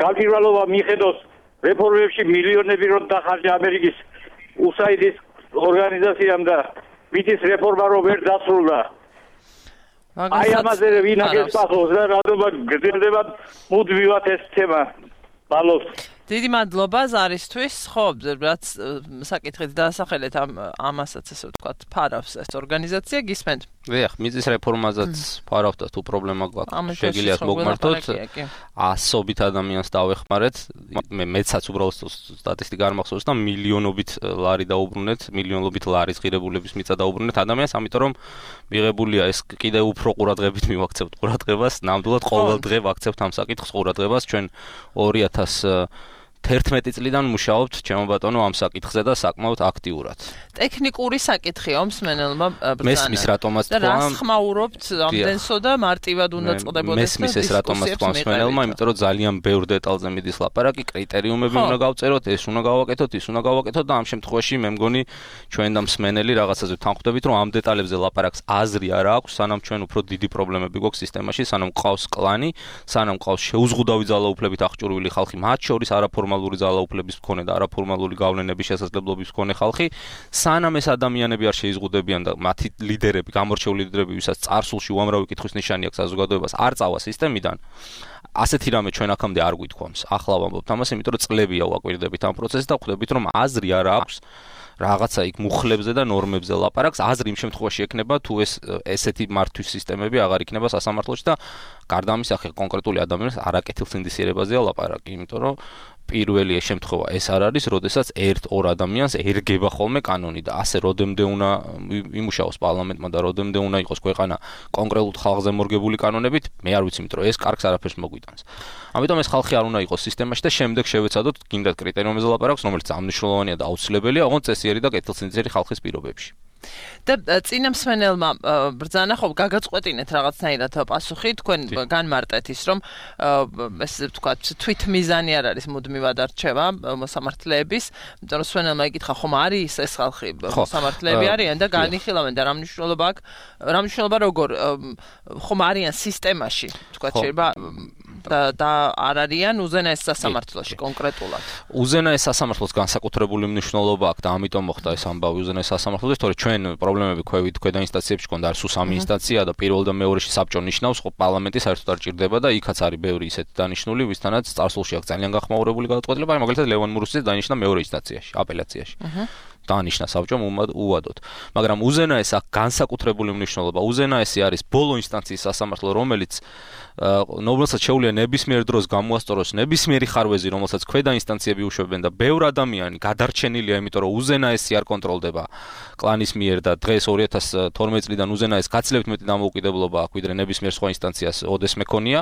E: გამჭირვალობა მიხედოს რეფორმებში მილიონები რომ დახარჯა ამერიკის USAID-ის ორგანიზაციამ და მიწის რეფორმა რომ ვერ დასრულდა. აი ამაზე ვინაგეს პასუხს და რატომ გრძელდება მუდმივად ეს თემა. მადლობთ.
B: დიდი მადლობა ზარისთვის. ხო, რაც საკითხით დაასახელეთ ამასაც ესე ვთქვათ, ფარავს ეს ორგანიზაცია, გისმენთ.
C: დიახ, მიწის რეფორმაზეც ფარავთ და თუ პრობლემა გვაქვს, შეგიძლიათ მოგმართოთ. ასობით ადამიანს დავეხმარეთ. მეცაც უბრალოდ სტატისტიკა არ მახსოვს და მილიონობით ლარი დაუბრუნეთ, მილიონობით ლარის ღირებულების მიწა დაუბრუნეთ ადამიანს, ამიტომ რომ მიღებულია ეს კიდევ უფრო ყურადღებით მივაქცევთ ყურადღებას, ნამდვილად ყოველ დღე ვაქცევთ ამ საკითხს ყურადღებას. ჩვენ 2000 11 წლიდან მუშაობთ ჩემო ბატონო ამ საკითხზე და საკმაოდ აქტიურად.
B: ტექნიკური საკითხია მსმენელმა ბრძანა.
C: მესმის რატომაც თქვა.
B: და რას ხმაურობთ ამდენსო და მარტივად უნდა წდებოდეს.
C: მესმის ეს რატომაც თქვა მსმენელმა, იმიტომ რომ ძალიან ბევრ დეტალზე მიდის ლაპარაკი, კრიტერიუმები უნდა გავწეროთ, ეს უნდა გავაკეთოთ, ის უნდა გავაკეთოთ და ამ შემთხვევაში მე მგონი ჩვენ და მსმენელი რაღაცაზე თანხმდებით, რომ ამ დეტალებზე ლაპარაკს აზრი არ აქვს, სანამ ჩვენ უფრო დიდი პრობლემები გვაქვს სისტემაში, სანამ ყავს კლანი, სანამ ყავს შეუზღუდავი ძალაუფლებით აღჭურვილი ხალხი, მათ შორის არაფორმალური ძალაუფლების მქონე და არაფორმალური გავლენების შესაძლებლობის მქონე ხალხი, სანამ ეს ადამიანები არ შეიზღუდებიან და მათი ლიდერები, გამორჩეული ლიდერები, ვისაც წარსულში უამრავი კითხვის ნიშანი აქვს საზოგადოებას, არ წავა სისტემიდან. ასეთი რამე ჩვენ აქამდე არ გვითქვამს. ახლა ვამბობთ ამას, იმიტომ რომ წლებია ვაკვირდებით ამ პროცესს და ხვდებით, რომ აზრი არ აქვს რაღაცა იქ მუხლებზე და ნორმებზე ლაპარაკს. აზრი იმ შემთხვევაში ექნება, თუ ესეთი მართვის სისტემები აღარ იქნება სასამართლოში და გარდა ამისა, ხე კონკრეტული ადამიანის არაკეთილსინდისიერებაზეა ლაპარაკი, იმიტომ რომ პირველი შემთხვევა ეს არ არის, როდესაც 1-2 ადამიანს ერგება ხოლმე კანონი და ასე როდემდე უნდა იმუშაოს პარლამენტმა და როდემდე უნდა იყოს ქვეყანა კონკრეტულ ხალხზე მორგებული კანონებით, მე არ ვიცი, იმიტომ რომ ეს კარგს არაფერს მოგვიტანს. ამიტომ ეს ხალხი არ უნდა იყოს სისტემაში და შემდეგ შევეცადოთ გინდათ კრიტერიუმებზე ლაპარაკს, რომელიც ამნიშნულოვანია და აუცილებელია, ოღონდ წესიერი და კეთილსინდისიერი ხალხის პირობებში.
B: და წინა მსმენელმა ბრძანა ხო გაგაწყვეტინეთ რაღაცნაირად პასუხი, თქვენ განმარტეთ ის, რომ ესე ვთქვათ, თვითმიზანი არ არის მუდმივად არჩევა მოსამართლეების, იმიტომ რომ მსმენელმა იკითხა, ხომ არის ეს ხალხი მოსამართლეები არიან და განიხილავენ და რა მნიშვნელობა როგორ ხომ არიან სისტემაში, ვთქვათ, შეიძლება და არ არიან უზენაეს სასამართლოში კონკრეტულად.
C: უზენაეს სასამართლოს განსაკუთრებული მნიშვნელობა აქვს და ამიტომ მოხდა ეს ამბავი უზენაეს სასამართლოში, თორე ჩვენ პრობლემები ქვედა ინსტანციებში გქონდა, არის სულ 3 ინსტანცია და პირველ და მეორეში საბჭო ნიშნავს, ხო პარლამენტი საერთოდ არ ჭირდება და იქაც არის ბევრი ისეთი დანიშნული, ვისთანაც წარსულში აქვს ძალიან გახმაურებული გადაწყვეტილება, აი მაგალითად ლევან მურუსიძე დანიშნა მეორე ინსტანციაში, აპელაციაში. დანიშნა საბჭომ უვადოდ. მაგრამ უზენაეს აქვს განსაკუთრებული მნიშვნელობა. უზენაესი არის ბოლო ინსტანციის სასამართლო, რომელსაც შეუძლია ნებისმიერ დროს გამოასწოროს ნებისმიერი ხარვეზი, რომელსაც ქვედა ინსტანციები უშვებენ და ბევრ ადამიანი გადარჩენილია, იმიტომ რომ უზენაესი არ კონტროლდება კლანის მიერ და დღეს 2012 წლიდან უზენაეს გაცილებით მეტი დამოუკიდებლობა აქვს, ვიდრე ნებისმიერ სხვა ინსტანციას ოდესმე მეკონია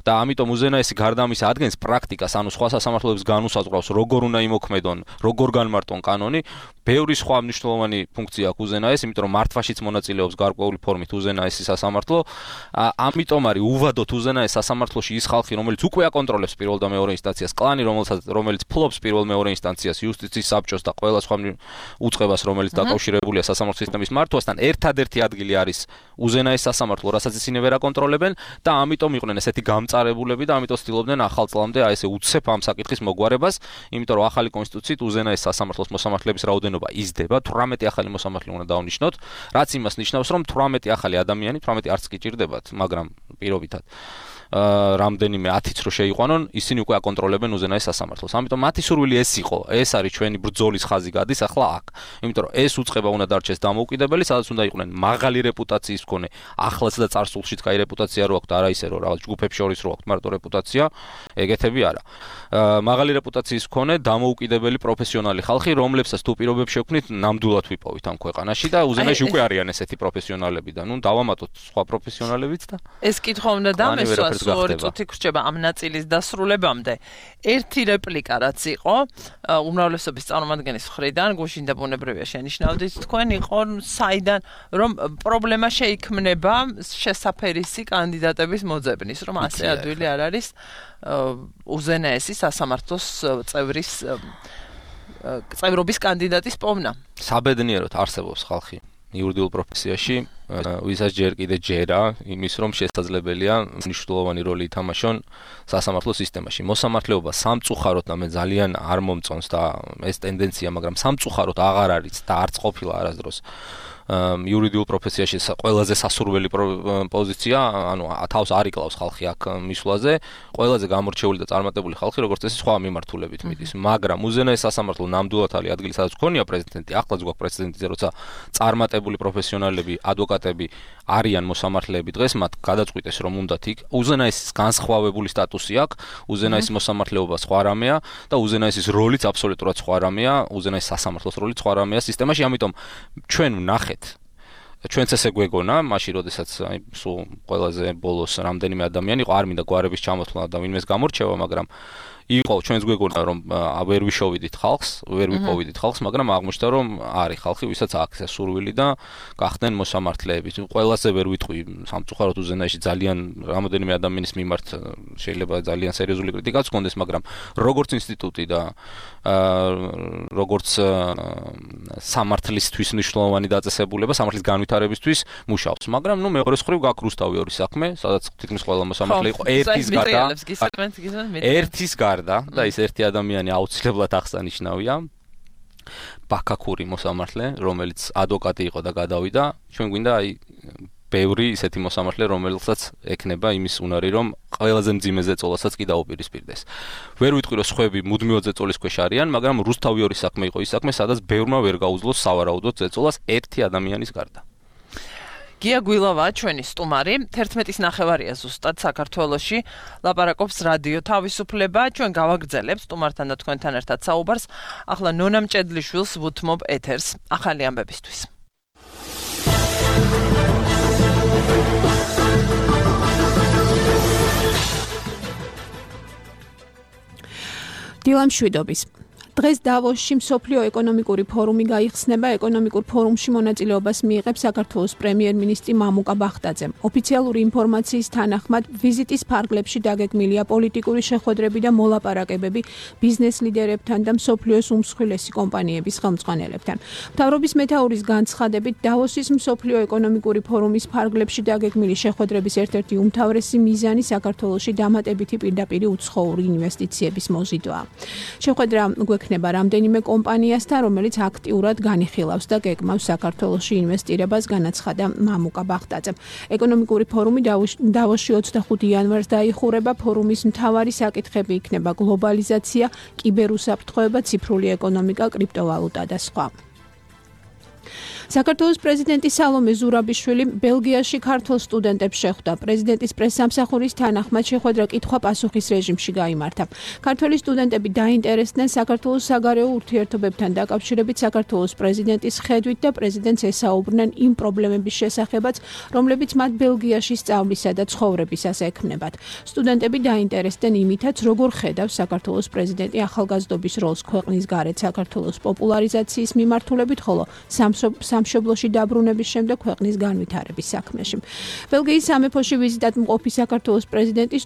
C: და ამიტომ უზენაესი გარდა ამისა ადგენს პრაქტიკას, ანუ სხვა სასამართლოებს განუსაზღვრავს, როგორ უნდა იმოქმედონ, როგორ განმარტონ კანონი. ბევრი სხვა მნიშვნელოვანი ფუნქცია აქვს უზენაეს, იმიტომ რომ მართვაშიც მონაწილეობს გარკვეული ფორმით უზენაესი სასამართლო. ამიტომ არის უვადოთ უზენაეს სასამართლოში ის ხალხი, რომელიც უკვე აკონტროლებს პირველ და მეორე ინსტანციას, კლანი, რომელიც ფლობს პირველ-მეორე ინსტანციას, იუსტიციის საბჭოს და ყველა სხვა უწყებას, რომელიც დაკავშირებულია სასამართლო სისტემის მართვასთან, ერთადერთი ადგილი არის უზენაეს სასამართლო, რასაც ისინი ვერ აკონტროლებენ და ამიტომ იყვნენ ესეთი გამწარებულები და ამიტომ ცდილობდნენ ახალ წლამდე აი ესე უცებ ამ საკითხის მოგვარებას, იმიტომ რომ ახალი კონსტიტუციით უზენაეს სასამართლოს მოსამართლეების რაოდენობა იზრდება, 18 ახალი მოსამართლე უნდა დავნიშნოთ, რაც იმას ნიშნავს, რომ 18 ახალი ადამიანი, 18 არც კი ჭირდებათ, მაგრამ პირობითად რამდენიმე 10-იც რო შეიყვანონ, ისინი უკვე აკონტროლებენ უზენაეს სასამართლოს. ამიტომ მათი სურვილი ეს იყო, ეს არის ჩვენი ბრძოლის ხაზი გადის ახლა აქ. იმიტომ რომ ეს უწყება უნდა დარჩეს დამოუკიდებელი, სადაც უნდა იყვნენ მაღალი რეპუტაციის მქონე, ახლაც და წარსულშიც კაი რეპუტაცია რო აქვს, არა ისე რომ რაღაც ჯგუფებს შორის რო აქვს მარტო რეპუტაცია, ეგეთები არა. მაღალი რეპუტაციის მქონე, დამოუკიდებელი პროფესიონალი ხალხი, რომლებსაც თუ პირობებს შექმნით, ნამდვილად ვიპოვით ამ ქვეყანაში და უზენაეში უკვე არიან ესეთი პროფესიონალები და ნუ დავამატოთ სხვა პროფესიონალებიც და
B: ეს კითხვა უნდა დამესვას 2 წუთი გრჩება ამ ნაწილის დასრულებამდე. ერთი რეპლიკა რაც იყო, უმრავლესობის წარმომადგენლის მხრიდან, გუშინ და ბუნებრივია შენიშნავდით თქვენ, იყო საიდან რომ პრობლემა შეიქმნება შესაფერისი კანდიდატების მოძებნის, რომ ასე ადვილი არ არის უზენაესი სასამართლოს წევრობის კანდიდატის პოვნა.
C: საბედნიეროდ არსებობს ხალხი იურიდიულ პროფესიაში, ვისაც ჯერ კიდე ჯერა იმის, რომ შესაძლებელია მნიშვნელოვანი როლი ითამაშონ სასამართლო სისტემაში. მოსამართლეობა სამწუხაროდ და მე ძალიან არ მომწონს და ეს ტენდენცია, მაგრამ სამწუხაროდ აღარ არის და არც ყოფილა არასდროს იურიდიულ პროფესიაში ყველაზე სასურველი პოზიცია, ანუ თავს არ იკლავს ხალხი აქ მისვლაზე, ყველაზე გამორჩეული და წარმატებული ხალხი, როგორც წესი, სხვა მიმართულებით მიდის. მაგრამ უზენაეს სასამართლო ნამდვილად არის ადგილი, სადაც ქონია პრეზიდენტი, ახლაც გვაქვს პრეზიდენტი, როცა წარმატებული პროფესიონალები, ადვოკატები არიან მოსამართლეები დღეს, მათ გადაწყვიტეს, რომ უნდათ იქ უზენაესის განსხვავებული სტატუსი აქვს, უზენაესის მოსამართლეობა სხვა რამეა და უზენაესის როლიც აბსოლუტურად სხვა რამეა, უზენაესის სასამართლოს როლიც სხვა რამეა სისტემაში, ამიტომ ჩვენ ვნახეთ ჩვენც ესე გვეგონა, მაშინ როდესაც აი სულ ყველაზე ბოლოს რამდენიმე ადამიანი იყო, არ მინდა გვარების ჩამოთვლა და ვინმეს გამორჩევა, მაგრამ იყო ჩვენს გვეგონა რომ ვერ ვიშოვიდით ხალხს, ვერ ვიპოვიდით ხალხს, მაგრამ აღმოჩნდა რომ არის ხალხი, ვისაც აქვს ეს სურვილი და გახდნენ მოსამართლეები. ყველაზე ვერ ვიტყვი სამწუხაროდ უზენაეში ძალიან რამოდენიმე ადამიანის მიმართ შეიძლება ძალიან სერიოზული კრიტიკაც ჰქონდეს, მაგრამ როგორც ინსტიტუტი და როგორც სამართლისთვის მნიშვნელოვანი დაწესებულება, სამართლის განვითარებისთვის მუშაობს. მაგრამ მეორეს მხრივ გაქვს რუსთავი ორი საქმე, სადაც თითქმის ყველა მოსამართლე იყო ერთის გარდა და ის ერთი ადამიანი აუცილებლად აღსანიშნავია. ბაქაქური მოსამართლე, რომელიც ადვოკატი იყო და გადავიდა, ჩვენ გვინდა ბევრი ისეთი მოსამართლე, რომელსაც ექნება იმის უნარი, რომ ყველაზე მძიმე ზეწოლასაც კი დაუპირისპირდეს. ვერ ვიტყვი, რომ სხვები მუდმივად ზეწოლის ქვეშ არიან, მაგრამ რუსთავი ორი საქმე იყო ის საქმე, სადაც ბევრმა ვერ გაუძლოს სავარაუდოდ ზეწოლას ერთი ადამიანის გარდა.
B: გია გვილავაა ჩვენი სტუმარი, 11:09 ზუსტად საქართველოში ლაპარაკობს რადიო თავისუფლება, ჩვენ გავაგრძელებთ სტუმართან და თქვენთან ერთად საუბარს. ახლა ნონა მჭედლიშვილს ვუთმობ ეთერს ახალი ამბებისთვის.
F: დილამშვიდობის. დღეს დავოსში მსოფლიო ეკონომიკური ფორუმი გაიხსნება. ეკონომიკურ ფორუმში მონაწილეობას მიიღებს საქართველოს პრემიერ-მინისტრი მამუკა ბახტაძე. ოფიციალური ინფორმაციის თანახმად, ვიზიტის ფარგლებში დაგეგმილია პოლიტიკური შეხვედრები და მოლაპარაკებები ბიზნეს ლიდერებთან და მსოფლიოს უმსხვილესი კომპანიების ხელმძღვანელებთან. მთავრობის მეთაურის განცხადებით, დავოსის მსოფლიო ეკონომიკური ფორუმის ფარგლებში დაგეგმილი შეხვედრების ერთ-ერთი უმთავრესი მიზანი საქართველოში დამატებითი პირდაპირი უცხოური ინვესტიციების მოზიდვაა. შეხვედრა გვექნება რამდენიმე კომპანიასთან, რომელიც აქტიურად განიხილავს და გეგმავს საქართველოში ინვესტირებას, განაცხადა მამუკა ბახტაძემ. ეკონომიკური ფორუმი დავოსში 25 იანვარს დაიხურება. ფორუმის მთავარი საკითხები იქნება გლობალიზაცია, კიბერუსაფრთხოება, ციფრული ეკონომიკა, კრიპტოვალუტა და სხვა. საქართველოს პრეზიდენტი სალომე ზურაბიშვილი ბელგიაში ქართულ სტუდენტებს შეხვდა. პრეზიდენტის პრესსამსახურის თანახმად შეხვედრა კითხვა-პასუხის რეჟიმში გაიმართა. ქართველი სტუდენტები დაინტერესდნენ საქართველოს საგარეო ურთიერთობებთან დაკავშირებით საქართველოს პრეზიდენტის ხედვით და პრეზიდენტს ესაუბრნენ იმ პრობლემების შესახებაც, რომლებიც მათ ბელგიაში სწავლისა და ცხოვრებისას ექმნებათ. სტუდენტები დაინტერესდნენ იმითაც, როგორ ხედავს საქართველოს პრეზიდენტი ახალგაზრდობის როლს ქვეყნის გარეთ საქართველოს პოპულარიზაციის მიმართულებით, ხოლო სამშობლოში დაბრუნების შემდეგ ქვეყნის განვითარების საქმეში. ბელგიის სამეფოში ვიზიტად მყოფი საქართველოს პრეზიდენტი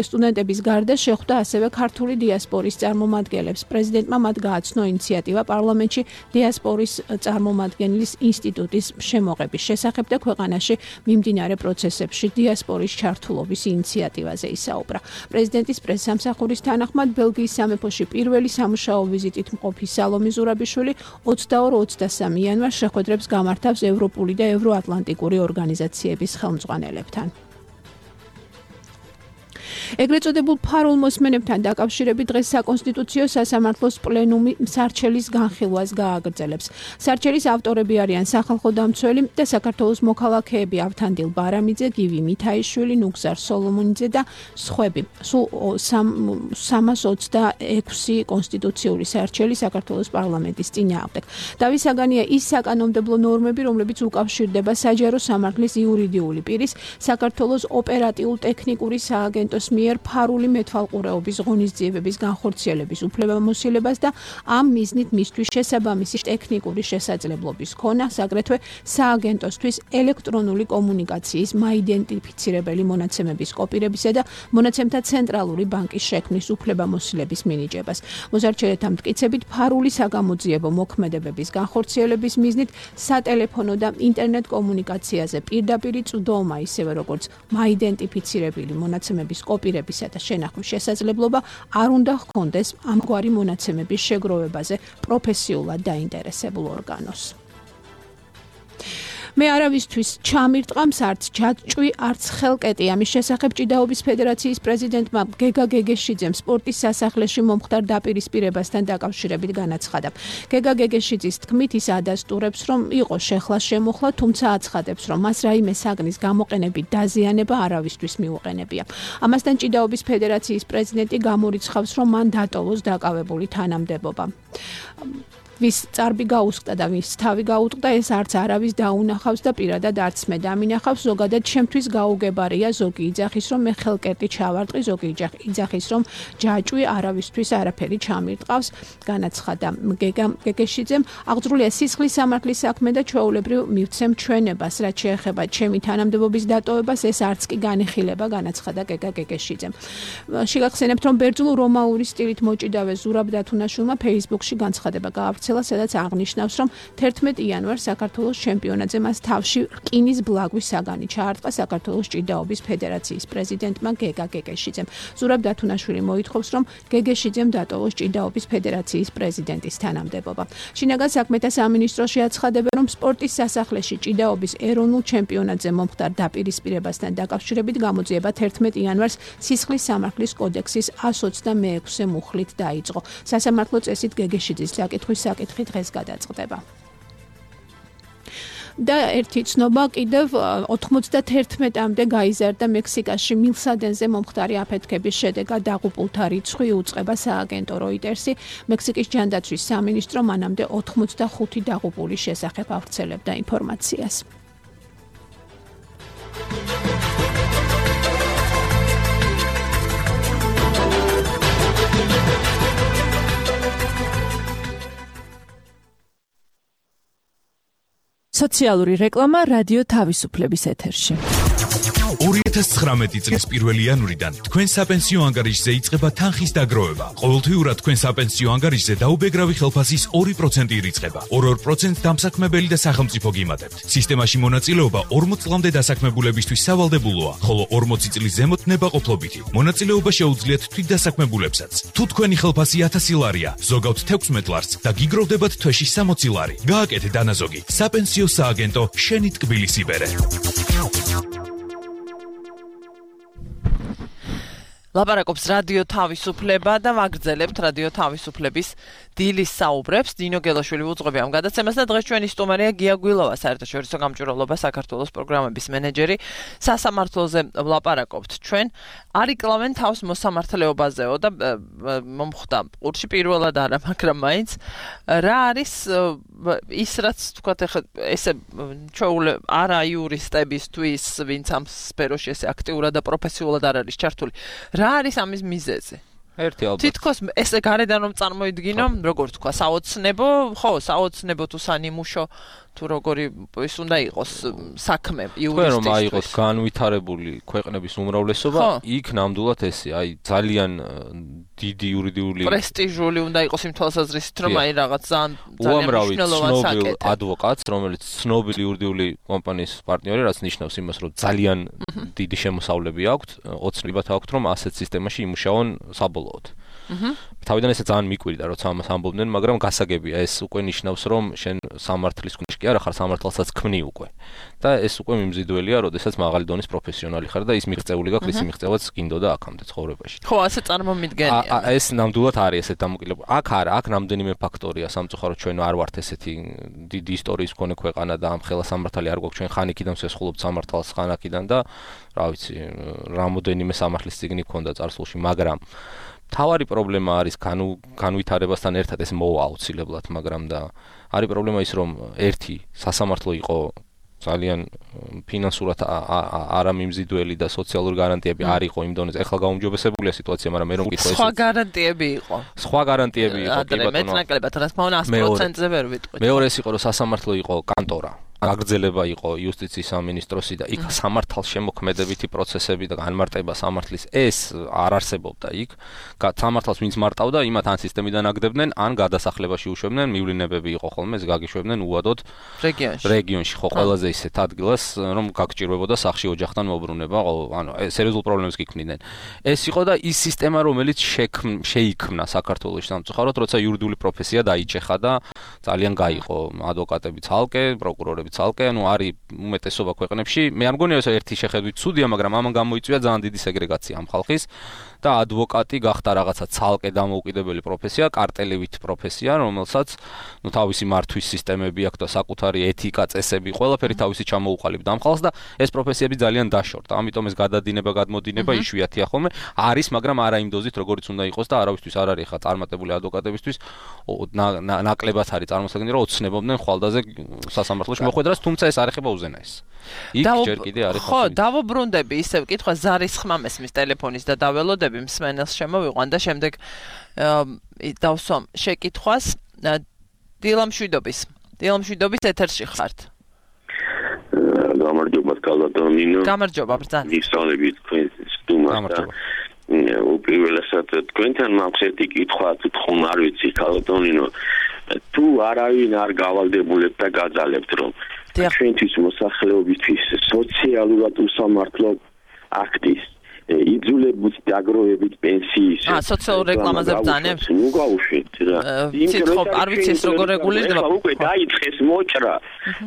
F: სტუდენტების გარდა შეხვდა ასევე ქართული დიასპორის წარმომადგენლებს. პრეზიდენტმა მათ გააცნო ინიციატივა პარლამენტში დიასპორის წარმომადგენლის ინსტიტუტის შემოღების შესახებ და ქვეყანაში მიმდინარე პროცესებში დიასპორის ჩართულობის ინიციატივაზე ისაუბრა. პრეზიდენტის პრესსამსახურის თანახმად ბელგიის სამეფოში პირველი სამუშაო ვიზიტით მყოფი სალომე ზურაბიშვილი 22-23 იანვარს შეხვედრებს გამართავს ევროპული და ევროატლანტიკური ორგანიზაციების ხელმძღვანელებთან. ეგრეთ წოდებულ ფარულ მოსმენებთან დაკავშირებით დღეს საკონსტიტუციო სასამართლოს პლენუმი სარჩელის განხილვას გააგრძელებს. სარჩელის ავტორები არიან სახალხო დამცველი და საქართველოს მოქალაქეები ავთანდილ ბარამიძე, გივი მითაიშვილი, ნუგზარ სოლომონიძე და სხვები. სულ 326 კონსტიტუციური სარჩელი საქართველოს პარლამენტის წინააღმდეგ. დავით საგანია ის საკანონმდებლო ნორმები, რომლებიც უკავშირდება საჯარო სამართლის იურიდიული პირის, საქართველოს ოპერატიულ-ტექნიკური სააგენტოს მიერ ფარული მეთვალყურეობის ღონისძიებების განხორციელების უფლებამოსილებას და ამ მიზნით მისთვის შესაბამისი ტექნიკური შესაძლებლობის ქონას, აგრეთვე სააგენტოსთვის ელექტრონული კომუნიკაციის მაიდენტიფიცირებელი მონაცემების კოპირებისა და მონაცემთა ცენტრალური ბანკის შექმნის უფლებამოსილების მინიჭებას. მოზარჩელეთა მტკიცებით ფარული საგამოძიებო მოქმედებების განხორციელების მიზნით სატელეფონო და ინტერნეტ კომუნიკაციაზე პირდაპირი წვდომა, ისევე როგორც მაიდენტიფიცირებელი მონაცემების კოპირებისა და შენახვის შესაძლებლობა არ უნდა ჰქონდეს ამგვარი მონაცემების შეგროვებაზე პროფესიულად დაინტერესებულ ორგანოს. მე არავისთვის ჩამირტყამს არც ჯაჭვი, არც ხელკეტი. ამის შესახებ ჭიდაობის ფედერაციის პრეზიდენტმა გეგა გეგეშიძემ სპორტის სასახლეში მომხდარ დაპირისპირებასთან დაკავშირებით განაცხადა. გეგა გეგეშიძის თქმით, ის ადასტურებს, რომ იყო შეხლა შემოხლა, თუმცა აცხადებს, რომ მას რაიმე საგნის გამოყენებით დაზიანება არავისთვის მიუყენებია. ამასთან ჭიდაობის ფედერაციის პრეზიდენტი გამორიცხავს, რომ მან დატოვოს დაკავებული თანამდებობა. ვის წარბი გაუსკდა და ვის თავი გაუტყდა, ეს არც არავის დაუნახავს და პირადად არც მე დამინახავს. ზოგადად ჩემთვის გაუგებარია, ზოგი იძახის, რომ მე ხელკერტი ჩავარტყი, ზოგი იძახის, რომ ჯაჭვი არავისთვის არაფერი ჩამირტყავს, განაცხადა გეგეშიძემ. აღძრულია სისხლის სამართლის საქმე და ჩვეულებრივ მივცემ ჩვენებას, რაც შეეხება ჩემი თანამდებობის დატოვებას, ეს არც კი განიხილება, განაცხადა გეგეშიძემ. შეგახსენებთ, რომ ბერძნულ რომაული სტილით მოჭიდავე ზურაბ დათუნაშვილმა Facebook-ში განცხადება გაავრცელა, სადაც აღნიშნავს, რომ 11 იანვარს საქართველოს ჩემპიონატზე მას თავში რკინის ბლაგვის საგანი ჩაარტყა საქართველოს ჭიდაობის ფედერაციის პრეზიდენტმა გეგეშიძემ. ზურაბ დათუნაშვილი მოითხოვს, რომ გეგეშიძემ დატოვოს ჭიდაობის ფედერაციის პრეზიდენტის თანამდებობა. შინაგან საქმეთა სამინისტროში აცხადებენ, რომ სპორტის სასახლეში ჭიდაობის ეროვნულ ჩემპიონატზე მომხდარ დაპირისპირებასთან დაკავშირებით გამოძიება 11 იანვარს სისხლის სამართლის კოდექსის 126 მუხლით დაიწყო. სასამართლო წესით გეგეშიძის საკითხვის საკითხი დღეს გადაწყდება. და ერთი ცნობა კიდევ 91-მდე გაიზარდა მექსიკაში მილსადენზე მომხდარი აფეთქების შედეგად დაღუპულთა რიცხვი უწყება სააგენტო როიტერსი. მექსიკის ჯანდაცვის სამინისტრო მანამდე 85 დაღუპულის შესახებ ავრცელებდა ინფორმაციას.
G: სოციალური რეკლამა რადიო თავისუფლების ეთერში.
H: 2019 წლის 1 იანვრიდან თქვენ საპენსიო ანგარიშზე იწყება თანხის დაგროვება. ყოველთვიურად თქვენ საპენსიო ანგარიშზე დაუბეგრავი ხელფასის 2% ირიცხება. 2% დამსაქმებელი და სახელმწიფო გიმატებთ. სისტემაში მონაწილეობა 40 წლამდე დასაქმებულებისთვის სავალდებულოა, ხოლო 40 წლის ზემოთ ნებაყოფლობითი. მონაწილეობა შეუძლიათ თვითდასაქმებულებსაც. თუ თქვენი ხელფასი 1000 ლარია, ზოგავთ 16 ლარს და გიგროვდებათ თვეში 60 ლარი. გააკეთე დანაზოგი. საპენსიო სააგენტო შენი ტკბილის იბერე.
B: ლაპარაკობს რადიო თავისუფლება და ვაგრძელებთ რადიო თავისუფლების დილის საუბრებს. დინო გელაშვილი უძღვები ამ გადაცემას და დღეს ჩვენი სტუმარია გია გვილოვა, საერთაშორისო გამჭვირვალობა საქართველოს პროგრამების მენეჯერი. სასამართლოზე ვლაპარაკობთ ჩვენ. არ იკლავენ თავს მოსამართლეობაზეო და მომხდა ყურში პირველად არა, მაგრამ მაინც რა არის ის რაც თქვათ ახლა ესე ჩვეულე არა იურისტებისთვის, ვინც ამ სფეროში ესე აქტიურად და პროფესიულად არ არის ჩართული. რა არის ამის მიზეზი?
C: ერთი ალბათ.
B: თითქოს ესე გარედან რომ წარმოიდგინო, როგორც თქვა, საოცნებო, ხო, საოცნებო თუ სანიმუშო თუ როგორი ის უნდა იყოს საქმე იურისტისთვის.
C: რომ აიღოთ განვითარებული ქვეყნების უმრავლესობა, იქ ნამდვილად ესე, აი ძალიან დიდი იურიდიული
B: პრესტიჟული უნდა იყოს იმ თვალსაზრისით, რომ აი რაღაც ძალიან მნიშვნელოვანი საკითხი.
C: ადვოკატს, რომელიც ცნობილი იურიდიული კომპანიის პარტნიორი, რაც ნიშნავს იმას, რომ ძალიან დიდი შემოსავლები აქვთ, ოცნებად აქვთ, რომ ასეთ სისტემაში იმუშაონ საბოლოოდ. თავიდან ესე ძალიან მიკვირდა, როცა ამას ამბობდნენ, მაგრამ გასაგებია, ეს უკვე ნიშნავს, რომ შენ სამართლის კუთხე კი არა ხარ, სამართალსაც ქმნი უკვე. და ეს უკვე მიმზიდველია, როდესაც მაღალი დონის პროფესიონალი ხარ და ის მიღწეული გაქვს, ის მიღწევაც გინდოდა აქამდე ცხოვრებაში.
B: ხო, ასე წარმომიდგენია.
C: ეს ნამდვილად არის ესეთ დამოკიდებული. აქ არა, აქ რამდენიმე ფაქტორია სამწუხაროდ ჩვენ არ ვართ ესეთი დიდი ისტორიის მქონე ქვეყანა და ამ ხელა სამართალი არ გვაქვს, ჩვენ ხანიკიდან ვსესხულობთ სამართალს ხანაკიდან და რა ვიცი, რამოდენიმე სამართლის წიგნი ქონდა წარსულში, მაგრამ თავარი პრობლემა არის განვითარებასთან ერთად ეს მოვა აუცილებლად, მაგრამ და არის პრობლემა ის, რომ ერთი სასამართლო იყო ძალიან ფინანსურად არამიმზიდველი და სოციალური გარანტიები არ იყო იმ დონეზე. ეხლა გაუმჯობესებულია სიტუაცია, მაგრამ მე რომ მკითხო ეს
B: სხვა გარანტიები იყო.
C: სხვა გარანტიები იყო, კი ბატონო.
B: მეტნაკლებად, რაც მოუნა 100%-ზე ვერ ვიტყვით.
C: მეორე ის იყო, რომ სასამართლო იყო კანტორა. აგრძელება იყო იუსტიციის სამინისტროსი და იქ სამართალშემოქმედებითი პროცესები და განმარტება სამართლის ეს არ არსებობდა იქ. სამართალს ვინც მარტავდა, იმათ ან სისტემიდან აგდებდნენ, ან გადასახლებაში უშვებდნენ, მივლინებები იყო ხოლმე, ეს გაგიშვებდნენ უადოდ რეგიონში, ხო, ყველაზე ისეთ ადგილას, რომ გაგჭირვებოდა სახში ოჯახთან მოbrunება, ანუ სერიოზულ პრობლემებს გიქმნიდნენ. ეს იყო და ის სისტემა, რომელიც შეიქმნა საქართველოში სამწუხაროდ, როცა იურიდიული პროფესია დაიჭეხა და ძალიან გაიყო ადვოკატები ცალკე, პროკურორები დაახლოებით ცალკე, ანუ არის უმეტესობა ქვეყნებში. მე არ მგონია ეს ერთი შეხედვით ცუდია, მაგრამ ამან გამოიწვია ძალიან დიდი სეგრეგაცია ამ ხალხის და ადვოკატი გახდა რაღაცა ცალკე დამოუკიდებელი პროფესია, კარტელივით პროფესია, რომელსაც თავისი მართვის სისტემები აქვს და საკუთარი ეთიკა, წესები, ყველაფერი თავისი ჩამოუყალიბდა ამ ხალხს და ეს პროფესიები ძალიან დაშორდა. ამიტომ ეს გადადინება, გადმოდინება იშვიათია ხოლმე. არის, მაგრამ არა იმ დოზით, როგორიც უნდა იყოს და არავისთვის არ არის ხა წარმატებული ადვოკატებისთვის ნაკლებად არის წარმოსაგნი, რომ ოცნებობდნენ ხვალდაზე სასამართლოში მოხვედრას, თუმცა ეს არ ეხება უზენაეს. იქ ჯერ კიდე არის
B: ხო, დავუბრუნდები ისევ კითხვა ზარის ხმა მესმის ტელეფონის და დაველოდები მსმენელს შემოვიყვან და შემდეგ დავსვამ შეკითხვას დილამშვიდობის ეთერში ხართ.
I: გამარჯობა კალატონინო.
B: გამარჯობა ბრძანე.
I: ისწავლებით თქვენ სტუმარს.
C: გამარჯობა.
I: უპირველესად თქვენთან მაქვს ერთი კითხვა, თქო არ ვიცი კალატონინო. თუ არავინ არ გავალდებულებ და გაძალებთ რომ ჩვენთვის მოსახლეობისთვის სოციალურად უსამართლო აქტის იძულებით დაგროვებით პენსიის
B: სოციალურ რეკლამაზე ბრძანებთ?
I: ნუ გავუშვით რა.
B: არ ვიცი ეს როგორ რეგულირდება.
I: უკვე დაიწყეს მოჭრა.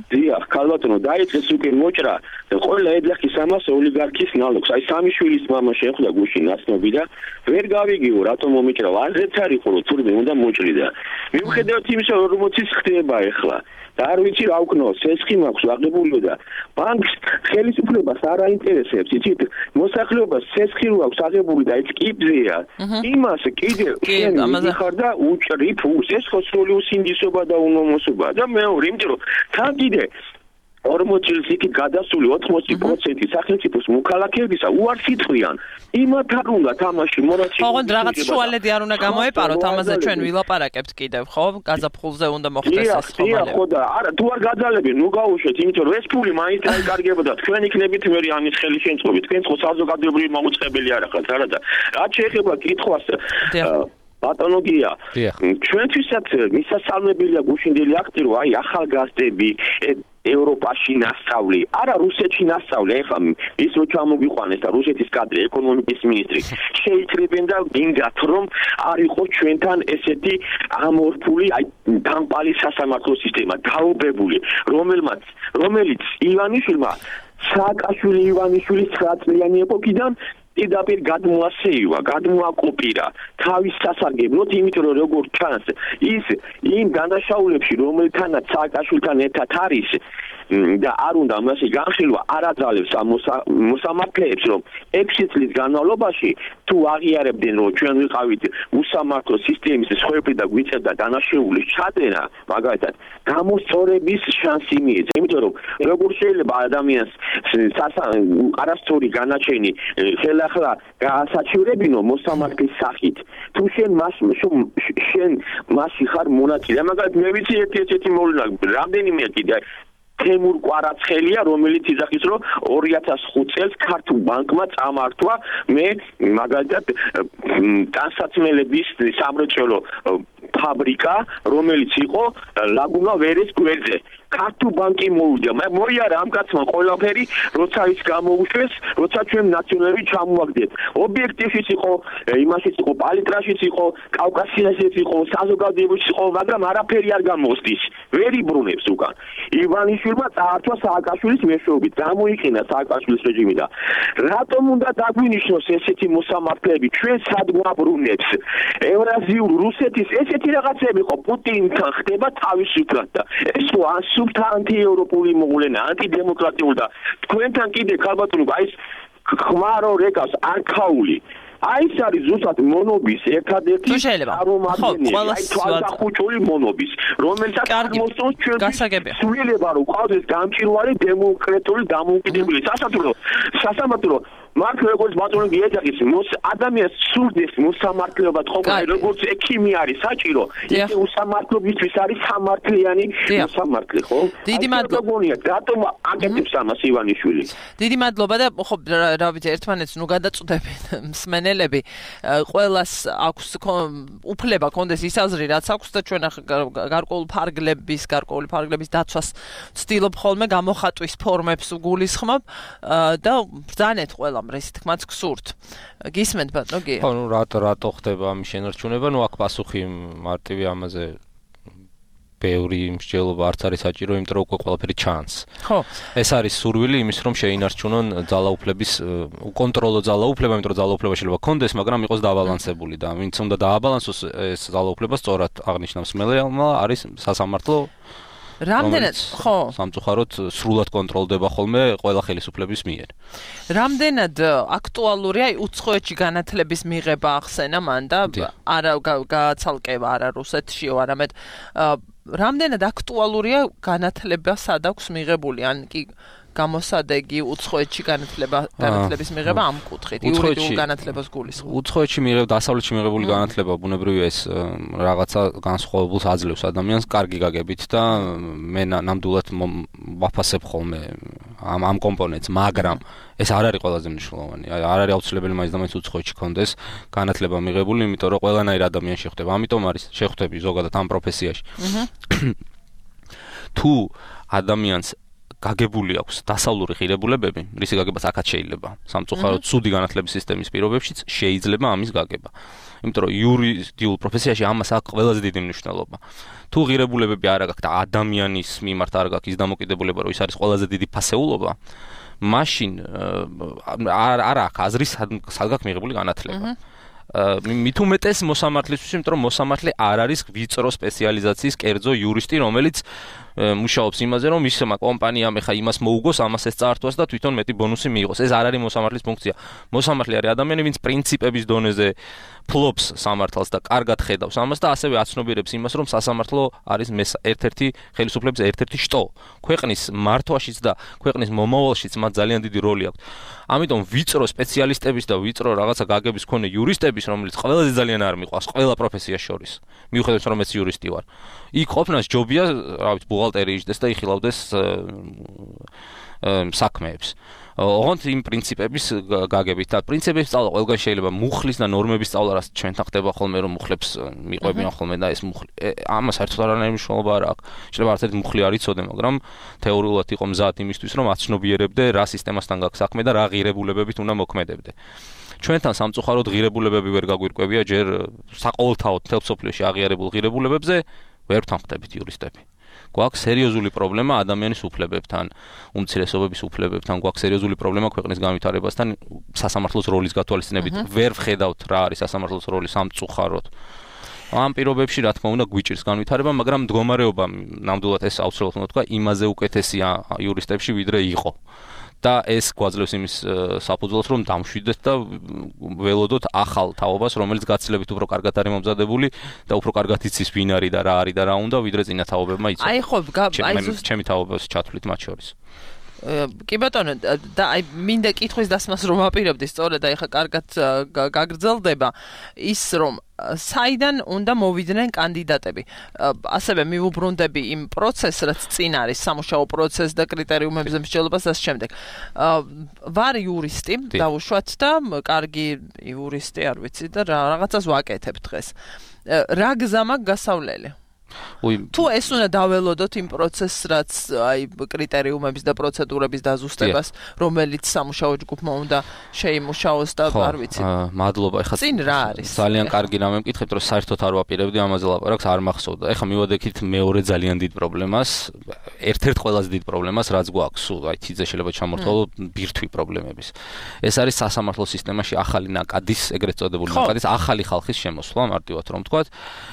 I: დიახ, ქალბატონო, დაიწყეს უკვე მოჭრა და ყველა ეძახის ამას ოლიგარქის ნალოგს. აი სამი შვილის მამა შეხვდა გუშინ ნაცნობი და ვერ გავიგიო რატომ მომიჭრა. არც არ იყო რომ თურმე უნდა მოჭრიდა. მიუხედავად იმისა, რომ 40-ის ხდება ახლა. და არ ვიცი რა ვქნო, სესხი მაქვს აღებულიო და ბანკს ხელისუფლებას არ აინტერესებს, იცით, მოსახლეობას სესხი რო აქვს აღებული და ეს კიბზეა. იმას კიდე შენ მიხარ და უჭრი ფულს, ეს ხო სრული უსინდისობა და უნომოსობა და მეორე, იმიტომ რომ თან კიდე 40 წელს იქ გადასული 80% სახელმწიფოს მოქალაქეებისა უარს იტყვიან. იმათ არ უნდა თამაში მორაცი.
B: ოღონდ რაღაც შუალედი არ უნდა გამოეპაროთ, ამაზე ჩვენ ვილაპარაკებთ კიდევ, ხო? გაზაფხულზე უნდა მოხდეს ეს ხომალები.
I: ხო და არა, თუ არ გაძალებენ, ნუ გაუშვეთ, იმიტომ რომ ეს ფული მაინც დაიკარგებოდა. თქვენ იქნებით მე ამის ხელი შემწყობი. თქვენ ხო საზოგადოებრივი მოუწყებელი არ ახართ, არა და რაც შეეხება კითხვას პათოლოგია. ჩვენთვისაც მისასალმებელია გუშინდელი აქტი, რომ აი ახალგაზრდები ევროპაში ნასწავლი, არა რუსეთში ნასწავლი, ეხლა ის რო ჩამოგიყვანეს და რუსეთის კადრი ეკონომიკის მინისტრი შეიკრიბენ და გინდათ რომ არ იყოს ჩვენთან ესეთი ამორფული აი დამპალი სასამართლო სისტემა დაობებული, რომელიც ივანიშვილმა სააკაშვილი ივანიშვილის 9 წლიანი ეპოქიდან პირდაპირ გადმოაკოპირა თავის სასარგებლოდ, იმიტომ რომ როგორც ჩანს, ის იმ დანაშაულებში, რომელთანაც სააკაშვილთან ერთად არის და არ უნდა მასე განხილვა არ აძალებს ამ მოსამართლეებს, რომ 6 წლის განმავლობაში თუ აღიარებდნენ, რომ ჩვენ ვიყავით უსამართლო სისტემის სხვები და გვიწევდა დანაშაულის ჩადენა, მაგალითად, გამოსწორების შანსი მიეცა, იმიტომ რომ როგორ შეიძლება ადამიანს არასწორი განაჩენი ხელახლა გაასაჩივრებინო მოსამართლის სახით, თუ შენ მასში ხარ მონაწილე. მაგალითად, მე ვიცი ერთი მოვლენა, რამდენიმე კიდე თემურ კვარაცხელია, რომელიც იძახის, რომ 2005 წელს ქართულ ბანკმა წამართვა მე მაგალითად ტანსაცმელების სამრეწველო ფაბრიკა, რომელიც იყო ლაგუნა ვერეს გვერდზე. ქართულ ბანკი მოვიდა. მოიარა ამ კაცმა ყველაფერი, როცა ის გამოუშვეს, როცა ჩვენ ნაციონალები ჩამოვაგდეთ. ობიექტივშიც იყო, იმაშიც იყო, პალიტრაშიც იყო, კავკასიაშიც იყო, საზოგადოებაშიც იყო, მაგრამ არაფერი არ გამოსდის. ვერ იბრუნებს უკან. ივანიშვილმა წაართვა სააკაშვილის მეშვეობით, გამოიყენა სააკაშვილის რეჟიმი და რატომ უნდა დაგვინიშნოს ესეთი მოსამართლეები ჩვენ სად გვაბრუნებს? ევრაზიულ რუსეთის ესეთი რაღაცები ხო პუტინთან ხდება თავისუფლად და ეს ხო ანტიევროპული მოვლენა, ანტიდემოკრატიული და თქვენთან კიდე ქალბატონო აი ეს ხმარო რეკავს არქაული. აი ეს არის ზუსტად მონობის ერთადერთი წარმომადგენელი, აი თვალსაჩინო მონობის, რომელსაც მოსწონს ჩვენ სულელება რომ ყავდეს გამჭირვარი დემოკრატიული დამოუკიდებელი სასამართლო მართ როგორც ბატონი გიეძახის ადამიანს სურდეს მოსამართლეობა თხოვნა როგორც ექიმი არის საჭირო ისე უსამართლობისთვის არის სამართლიანი მოსამართლე ხო? დიდი მადლობა. რატომ აკეთებს ამას ივანიშვილი?
B: დიდი მადლობა და ხო რა ვიცი ერთმანეთს ნუ გადაწყვეტებენ მსმენელები ყველას აქვს უფლება კონდეს ის აზრი რაც აქვს და ჩვენ გარკვეული ფარგლების დაცვას ვცდილობ ხოლმე გამოხატვის ფორმებს გულისხმობ და ბრძანეთ ყველა ეს თქმაც გსურთ. გისმენთ ბატონო გია?
C: ხო, ნუ რატო ხდება ამის შენარჩუნება? ნუ აქ პასუხი მარტივი ამაზე ბევრი მსჯელობა არც არის საჭირო, იმიტომ რომ უკვე ყველაფერი ჩანს.
B: ხო.
C: ეს არის სურვილი იმის, რომ შეინარჩუნონ ძალაუფლების უკონტროლო ძალაუფლება, იმიტომ რომ ძალაუფლება შეიძლება კონდეს, მაგრამ იყოს დაბალანსებული და ვინც უნდა დააბალანსოს ეს ძალაუფლება სწორად აღნიშნავს მელეალმა არის სასამართლო
B: რამდენად ხო
C: სამწუხაროდ სრულად კონტროლდება ხოლმე ყველა ხელისუფლების მიერ.
B: რამდენად აქტუალურია უცხოეთში განათლების მიღება ახსენა მან და არა გააცალკევა არა რუსეთშიო, არამედ რამდენად აქტუალურია განათლება სად აქვს მიღებული, ან კი გამოსადეგი უცხოეთში განათლების მიღება ამ კუთხით, იურიდიულ განათლებას გულისხმობს.
C: უცხოეთში დასავლეთში მიღებული განათლება ბუნებრივია ეს რაღაცა განსხვავებულს აძლევს ადამიანს კარგი გაგებით და მე ნამდვილად ვაფასებ ხოლმე ამ კომპონენტს, მაგრამ ეს არ არის ყველაზე მნიშვნელოვანი. არ არის აუცილებელი მაინც და მაინც უცხოეთში კონდეს განათლება მიღებული, იმიტომ რომ ყველანაირ ადამიანს შეხვდება. ამიტომ არის შეხვდები ზოგადად ამ პროფესიაში. თუ ადამიანს გაგებული აქვს დასავლური ღირებულებები, რისი გაგებაც აქაც შეიძლება. სამწუხაროდ ცუდი განათლების სისტემის პირობებშიც შეიძლება ამის გაგება. იმიტომ რომ იურიდიულ პროფესიაში ამას აქვს ყველაზე დიდი მნიშვნელობა. თუ ღირებულებები არ აქვს და ადამიანის მიმართ არ აქვს ის დამოკიდებულება, რომ ის არის ყველაზე დიდი ფასეულობა, მაშინ არ აქვს აზრის სად გაქვს მიღებული განათლება. მით უმეტეს მოსამართლისთვის, იმიტომ რომ მოსამართლე არ არის ვიწრო სპეციალიზაციის კერძო იურისტი, რომელიც მუშაობს იმაზე, რომ ისმა კომპანიამ ეხა იმას მოუგოს, ამას ეს წაართვას და თვითონ მეტი ბონუსი მიიღოს. ეს არ არის მოსამართლის ფუნქცია. მოსამართლე არის ადამიანი, ვინც პრინციპების დონეზე ფლობს სამართალს და კარგად ხედავს ამას და ასევე აცნობიერებს იმას, რომ სასამართლო არის ერთ-ერთი ხელისუფლების ერთ-ერთი შტო. ქვეყნის მართვაშიც და ქვეყნის მომავალშიც მათ ძალიან დიდი როლი აქვს. ამიტომ ვიწრო სპეციალისტების და ვიწრო რაღაცა გაგების მქონე იურისტების, რომელიც ყველაზე ძალიან არ მიყვარს ყველა პროფესიას შორის. მიუხედავად რომ მეც იურისტი ვარ. იქ ყოფნას ჯობია, რა ვიცი, ბუღალტერი იჯდეს და იხილავდეს საქმეებს. ოღონდ იმ პრინციპების გაგებით და პრინციპების სწავლა ყველგან შეიძლება მუხლის და ნორმების სწავლა, რაც ჩვენთან ხდება ხოლმე, რომ მუხლებს მიყვებიან ხოლმე და ეს მუხლი ამას საერთოდ არანაირი მნიშვნელობა არ აქვს. შეიძლება არც ერთი მუხლი არ იცოდე, მაგრამ თეორიულად იყო მზად იმისთვის, რომ აცნობიერებდე რა სისტემასთან გაქვს საქმე და რა ღირებულებებით უნდა მოქმედებდე. ჩვენთან სამწუხაროდ ღირებულებები ვერ გაგვირკვევია, ჯერ საყოველთაოდ მთელ მსოფლიოში აღიარებულ ღირებულებებზე ვერ ვთანხმდებით იურისტები. გვაქვს სერიოზული პრობლემა ადამიანის უფლებებთან, უმცირესობების უფლებებთან, გვაქვს სერიოზული პრობლემა ქვეყნის განვითარებასთან, სასამართლოს როლის გათვალისწინებით. ვერ ვხედავთ რა არის სასამართლოს როლი სამწუხაროდ. ამ პირობებში რა თქმა უნდა გვიჭირს განვითარება, მაგრამ მდგომარეობა ნამდვილად ეს აუცილებლად უნდა თქვა, იმაზე უკეთესია იურისტებში ვიდრე იყო. და ეს გვაძლევს იმის საფუძველს, რომ დამშვიდეთ და ველოდოთ ახალ თაობას, რომელიც გაცილებით უფრო კარგად არის მომზადებული და უფრო კარგად იცის ვინ არის და რა არის და რა უნდა, ვიდრე წინა თაობებმა იცოდნენ.
B: აი ხო,
C: ჩემი თაობას ჩათვლით მათ შორის.
B: კი ბატონო, და აი მინდა კითხვის დასმას რომ აპირებდი, სწორედ აი ხა კარგად გაგრძელდება ის, რომ საიდან უნდა მოვიდნენ კანდიდატები. ასევე მივუბრუნდები იმ პროცესს, რაც წინ არის, სამუშაო პროცესს და კრიტერიუმებზე მსჯელობას და ამ შემდეგ. ვარ იურისტი, დავუშვათ და კარგი იურისტი არ ვიცი და რაღაცას ვაკეთებ დღეს. რა გზა მაქვს გასავლელი? თუ ეს უნდა დაველოდოთ იმ პროცესს, რაც აი კრიტერიუმების და პროცედურების დაზუსტებას, რომელიც სამუშაო ჯგუფმა უნდა შეიმუშაოს და არ ვიცი.
C: მადლობა, ეხლა
B: წინ რა არის?
C: ძალიან კარგი რამე მკითხებთ, რომ საერთოდ არ ვაპირებდი ამაზე ლაპარაკს, არ მახსოვდა. ეხლა მივადექით მეორე ძალიან დიდ პრობლემას, ერთ-ერთ ყველაზე დიდ პრობლემას, რაც გვაქვს, სულ აი თიძე შეიძლება ჩამორთვალო ბირთვი პრობლემების. ეს არის სასამართლო სისტემაში ახალი ნაკადის, ეგრეთ წოდებული ნაკადის, ახალი ხალხის შემოსვლა, მარტივად რომ ვთქვათ.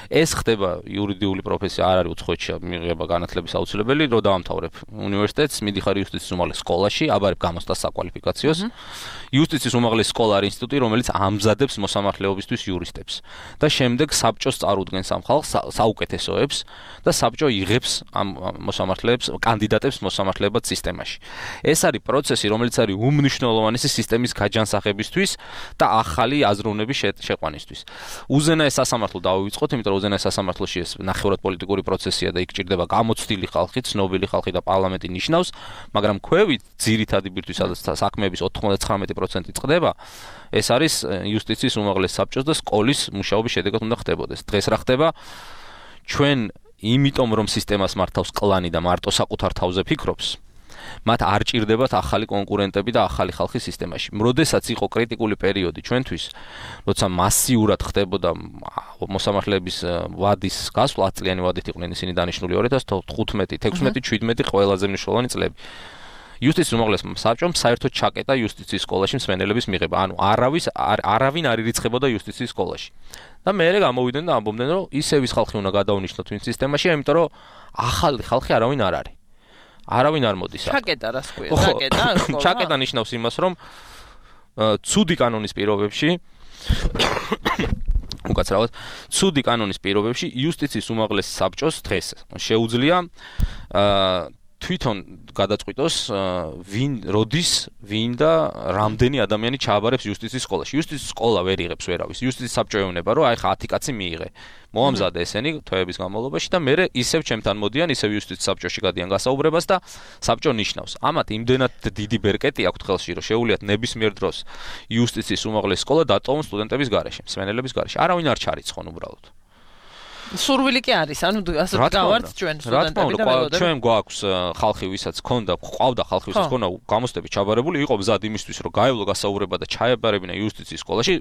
C: ეს ხდება იურიდიული პროფესია არ არის უცხოეთში მიღება განათლების აუცილებელი, რო დაამთავრებ უნივერსიტეტს, მიდიხარ იუსტიციის უმაღლეს სკოლაში, აბარებ გამოცდას საკვალიფიკაციოს. იუსტიციის უმაღლესი სკოლა არის ინსტიტუტი, რომელიც ამზადებს მოსამართლეობისთვის იურისტებს და შემდეგ საბჭოს წარუდგენს ამ ხალხს, საუკეთესოებს და საბჭო იღებს ამ მოსამართლეებს, კანდიდატებს მოსამართლეობად სისტემაში. ეს არის პროცესი, რომელიც არის უმნიშვნელოვანესი სისტემის გაჯანსაღებისთვის და ახალი აზროვნების შეყვანისთვის. უზენაეს სასამართლო დავივიწყოთ, იმიტომ რომ უზენაეს სასამართლოში ეს ნახევრად პოლიტიკური პროცესია და იქ ჭირდება გამოცდილი ხალხი, ცნობილი ხალხი და პარლამენტი ნიშნავს, მაგრამ ქვევით ძირითადი ბირთვის საქმეების 99% წყდება. ეს არის იუსტიციის უმაღლეს საბჭოს და სკოლის მუშაობის შედეგად უნდა ხდებოდეს. დღეს რა ხდება? ჩვენ იმიტომ რომ სისტემას მართავს კლანი და მარტო საკუთარ თავზე ფიქრობს, მათ არ ჭირდებათ ახალი კონკურენტები და ახალი ხალხი სისტემაში. როდესაც იყო კრიტიკული პერიოდი ჩვენთვის, როცა მასიურად ხდებოდა მოსამართლეების ვადის გასვლა, 10 წლიანი ვადით იყვნენ ისინი დანიშნული 2015, 16, 17 ყველაზე მნიშვნელოვანი წლები. იუსტიციის უმაღლეს საბჭომ საერთოდ ჩაკეტა იუსტიციის სკოლაში მსმენელების მიღება. ანუ არავინ არ ირიცხებოდა იუსტიციის სკოლაში. და მერე გამოვიდნენ და ამბობდნენ, რომ ისევ ის ხალხი უნდა გადაუნიშნოთ ვინც სისტემაში, იმიტომ რომ ახალი ხალხი არავინ არ არის. არავინ არ მოდის.
B: ჩაკეტა რას ქვია?
C: ჩაკეტა ნიშნავს იმას, რომ ცუდი კანონის პირობებში უკაცრავად, ცუდი კანონის პირობებში იუსტიციის უმაღლეს საბჭოს დღეს შეუძლია თვითონ გადაწყვიტოს ვინ როდის ვინ და რამდენი ადამიანი ჩააბარებს იუსტიციის სკოლაში. იუსტიციის სკოლა ვერ იღებს ვერავის. იუსტიციის საბჭო ეუბნება, რომ აი ხა 10 კაცი მიიღე. მოამზადე ესენი თვეების განმავლობაში და მე ისევ ჩემთან მოდიან, ისევ იუსტიციის საბჭოში გადიან გასაუბრებას და საბჭო ნიშნავს. ამათ იმდენად დიდი ბერკეტი აქვთ ხელში, რომ შეუულიათ ნებისმიერ დროს იუსტიციის უმაღლესი სკოლა დატოვონ სტუდენტების გარეშე, მსმენელების გარეშე. არავინ არ ჩარიცხონ უბრალოდ.
B: სურვილი კი არის, ანუ ასე გავართ ჩვენ სტუდენტები და მეგობრები.
C: ჩვენ გვაქვს ხალხი, ვისაც ყავდა ხალხი, ვისაც ქონდა გამოცდები ჩაბარებული, იყო მზად იმისთვის, რომ გაევლო გასაუბრება და ჩაებარებინა იუსტიციის სკოლაში,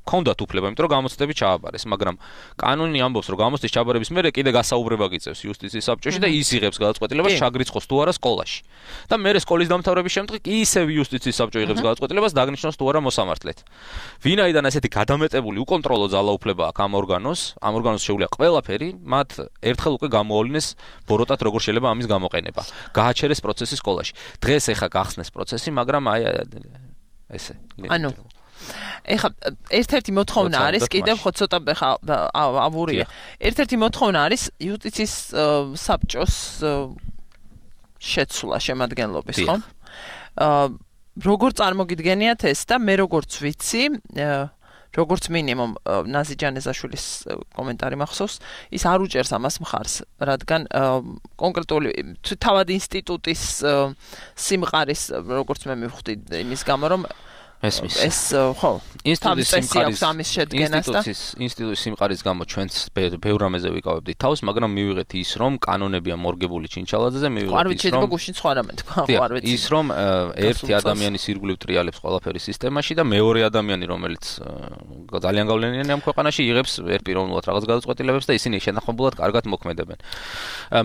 C: ქონდათ უფლება, იმიტომ რომ გამოცდები ჩააბარეს, მაგრამ კანონი ამბობს, რომ გამოცდის ჩაბარების მერე კიდე გასაუბრება გიწევს იუსტიციის საბჭოში და ის იღებს გადაწყვეტილებას ჩაგრიცხოს თუ არა სკოლაში. და მერე სკოლის დამთავრების შემდეგ ისევ იუსტიციის საბჭო იღებს გადაწყვეტილებას დაგნიშნოს თუ არა მოსამართლედ. ვინაიდან ესეთი გადამეტებული უკონტროლო ძალაუფლება აქვს ამ ორგანოს შეუძლია ყველაფერი, მათ ერთხელ უკვე გამოავლინეს ბოროტად როგორ შეიძლება ამის გამოყენება. გააჩერეს პროცესი სკოლაში. დღეს ეხა გახსნეს პროცესი, მაგრამ აი ესე.
B: ანუ ეხა ერთ-ერთი მოთხოვნა არის, კიდევ ხო ცოტა ავურია. ერთ-ერთი მოთხოვნა არის იუსტიციის საბჭოს შეცვლა შემადგენლობის, ხო? როგორ წარმოგიდგენიათ ეს და მე როგორც ვიცი, როგორც მინიმუმ ნაზი ჯანეზაშვილის კომენტარი მახსოვს, ის არ უჭერს ამას მხარს, რადგან კონკრეტული თავად ინსტიტუტის სიმყარის, როგორც მე მივხვდი იმის გამო, რომ ეს ხო
C: ინსტიტუტის სიმყარის გამო ჩვენც ბევრ რამეზე ვიკავებდით თავს, მაგრამ მივიღეთ ის, რომ კანონებია მორგებული ჩინჩალაძეზე, მივიღეთ ის, რომ ერთი ადამიანის ირგვლივ ტრიალებს ყველაფერი სისტემაში და მეორე ადამიანი, რომელიც ძალიან გავლენიანი ამ ქვეყანაში, იღებს ერთპიროვნულად რაღაც გადაწყვეტილებებს და ისინი შენახებულად კარგად მოქმედებენ.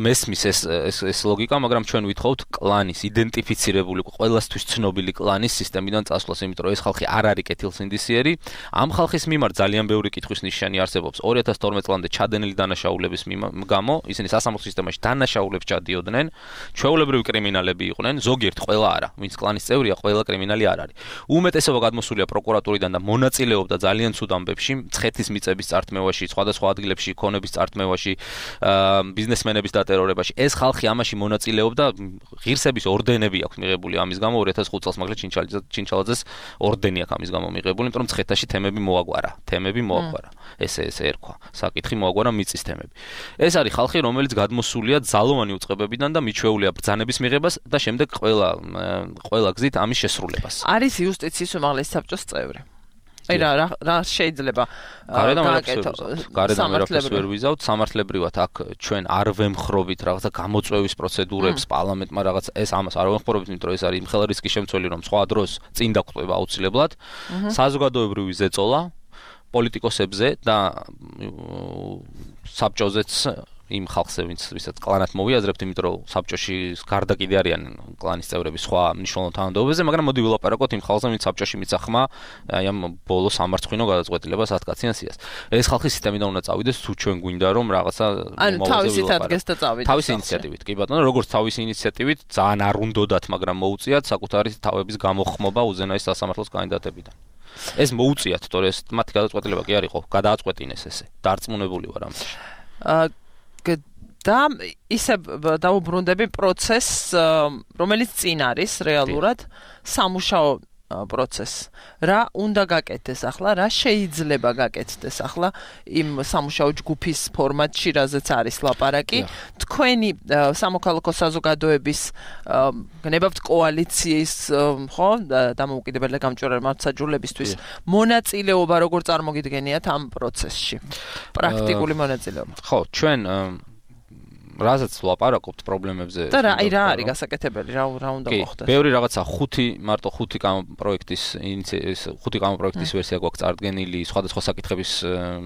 C: მესმის ეს ლოგიკა, მაგრამ ჩვენ ვითხოვთ კლანის იდენტიფიცირებული, ყველასთვის ცნობილი კლანის სისტემიდან წასვლას, იმიტომ რომ ეს ხალხი არ არის კეთილსინდისიერი. ამ ხალხის მიმართ ძალიან ბევრი კითხვის ნიშანი არსებობს. 2012 წლამდე ჩადენილი დანაშაულების გამო ისინი სასამართლო სისტემაში დანაშაულებს ჩადიოდნენ. ჩვეულებრივი კრიმინალები იყვნენ, ზოგიერთ ყველა არა. ვინც კლანის წევრია, ყველა კრიმინალი არ არის. უმეტესობა გადმოსულია პროკურატურიდან და მონაწილეობდა ძალიან ცუდ ამბებში, მცხეთის მიწების წართმევაში, სხვადასხვა ადგილებში ქონების წართმევაში, ბიზნესმენების დატერორებაში. ეს ხალხი ამაში მონაწილეობდა, ღირსების ორდენები აქვს მიღებული ამის გამო 2005 წელს მაგალითად ჩინჩალაძეს ორდენი აქვს ამის გამო მიღებული, იმიტომ რომ მცხეთაში თემები მოაგვარა. ესე ერქვა. საკითხი მოაგვარა მიწის თემები. ეს არის ხალხი, რომელიც გადმოსულია ძალოვანი უწყებებიდან და მიჩვეულია ბრძანების მიღებას და შემდეგ ყველა გზით ამის შესრულებას.
B: არის იუსტიციის უმაღლესი საბჭოს წევრი. აი რა შეიძლება
C: გარედან ვერ ვიზავთ, სამართლებრივად აქ ჩვენ არ ვემხრობით რაღაცა გამოწვევის პროცედურებს პარლამენტმა რაღაც ეს ამას არ ვემხრობით, იმიტომ რომ ეს არის იმხელა რისკის შემცველი, რომ სხვა დროს წინ დაგვწვევა აუცილებლად. საზოგადოებრივი ზეწოლა პოლიტიკოსებზე და საბჭოზეც იმ ხალხზე, ვისაც კლანად მოვიაზრებთ, იმიტომ რომ საბჭოში გარდა კიდე არიან კლანის წევრები სხვა მნიშვნელოვან თანამდებობებზე, მაგრამ მოდი ვილაპარაკოთ იმ ხალხზე, ვინც საბჭოში მიცახ ხმა, აი ამ ბოლო სამარცხვინო გადაწყვეტილებას 10 კაციან სიას. ეს ხალხი სისტემიდან უნდა წავიდეს, თუ ჩვენ გვინდა რომ რაღაცა
B: თავისით ადგეს და წავიდეს.
C: თავისი ინიციატივით, კი ბატონო, როგორც თავისი ინიციატივით, ძალიან არ უნდათ, მაგრამ მოუწიათ საკუთარი თავების გამოხმობა უზენაეს სასამართლოს კანდიდატებიდან. ეს მოუწიათ, თორე ეს მათი გადაწყვეტილება კი არ იყო, გადააწყვეტინეს ესე. დარწმუნებული ვარ ამაში.
B: და ისე დაუბრუნდები პროცესს, რომელიც წინ არის რეალურად სამუშაო პროცესს. რა უნდა გაკეთდეს ახლა, რა შეიძლება გაკეთდეს ახლა იმ სამუშაო ჯგუფის ფორმატში, რაზეც არის ლაპარაკი. თქვენი სამოქალაქო საზოგადოების გნებავთ კოალიციის, ხო, დამოუკიდებელი გამჭვირვალე მართლმსაჯულებისთვის მონაწილეობა როგორ წარმოგიდგენიათ ამ პროცესში? პრაქტიკული მონაწილეობა.
C: ხო, ჩვენ რაზეც ვლაპარაკობთ პრობლემებზე
B: და რა არის გასაკეთებელი, რა უნდა მოხდეს?
C: ბევრი რაღაცა მარტო 5 კამპროექტის ვერსია გვაქვს წარდგენილი სხვადასხვა საკითხების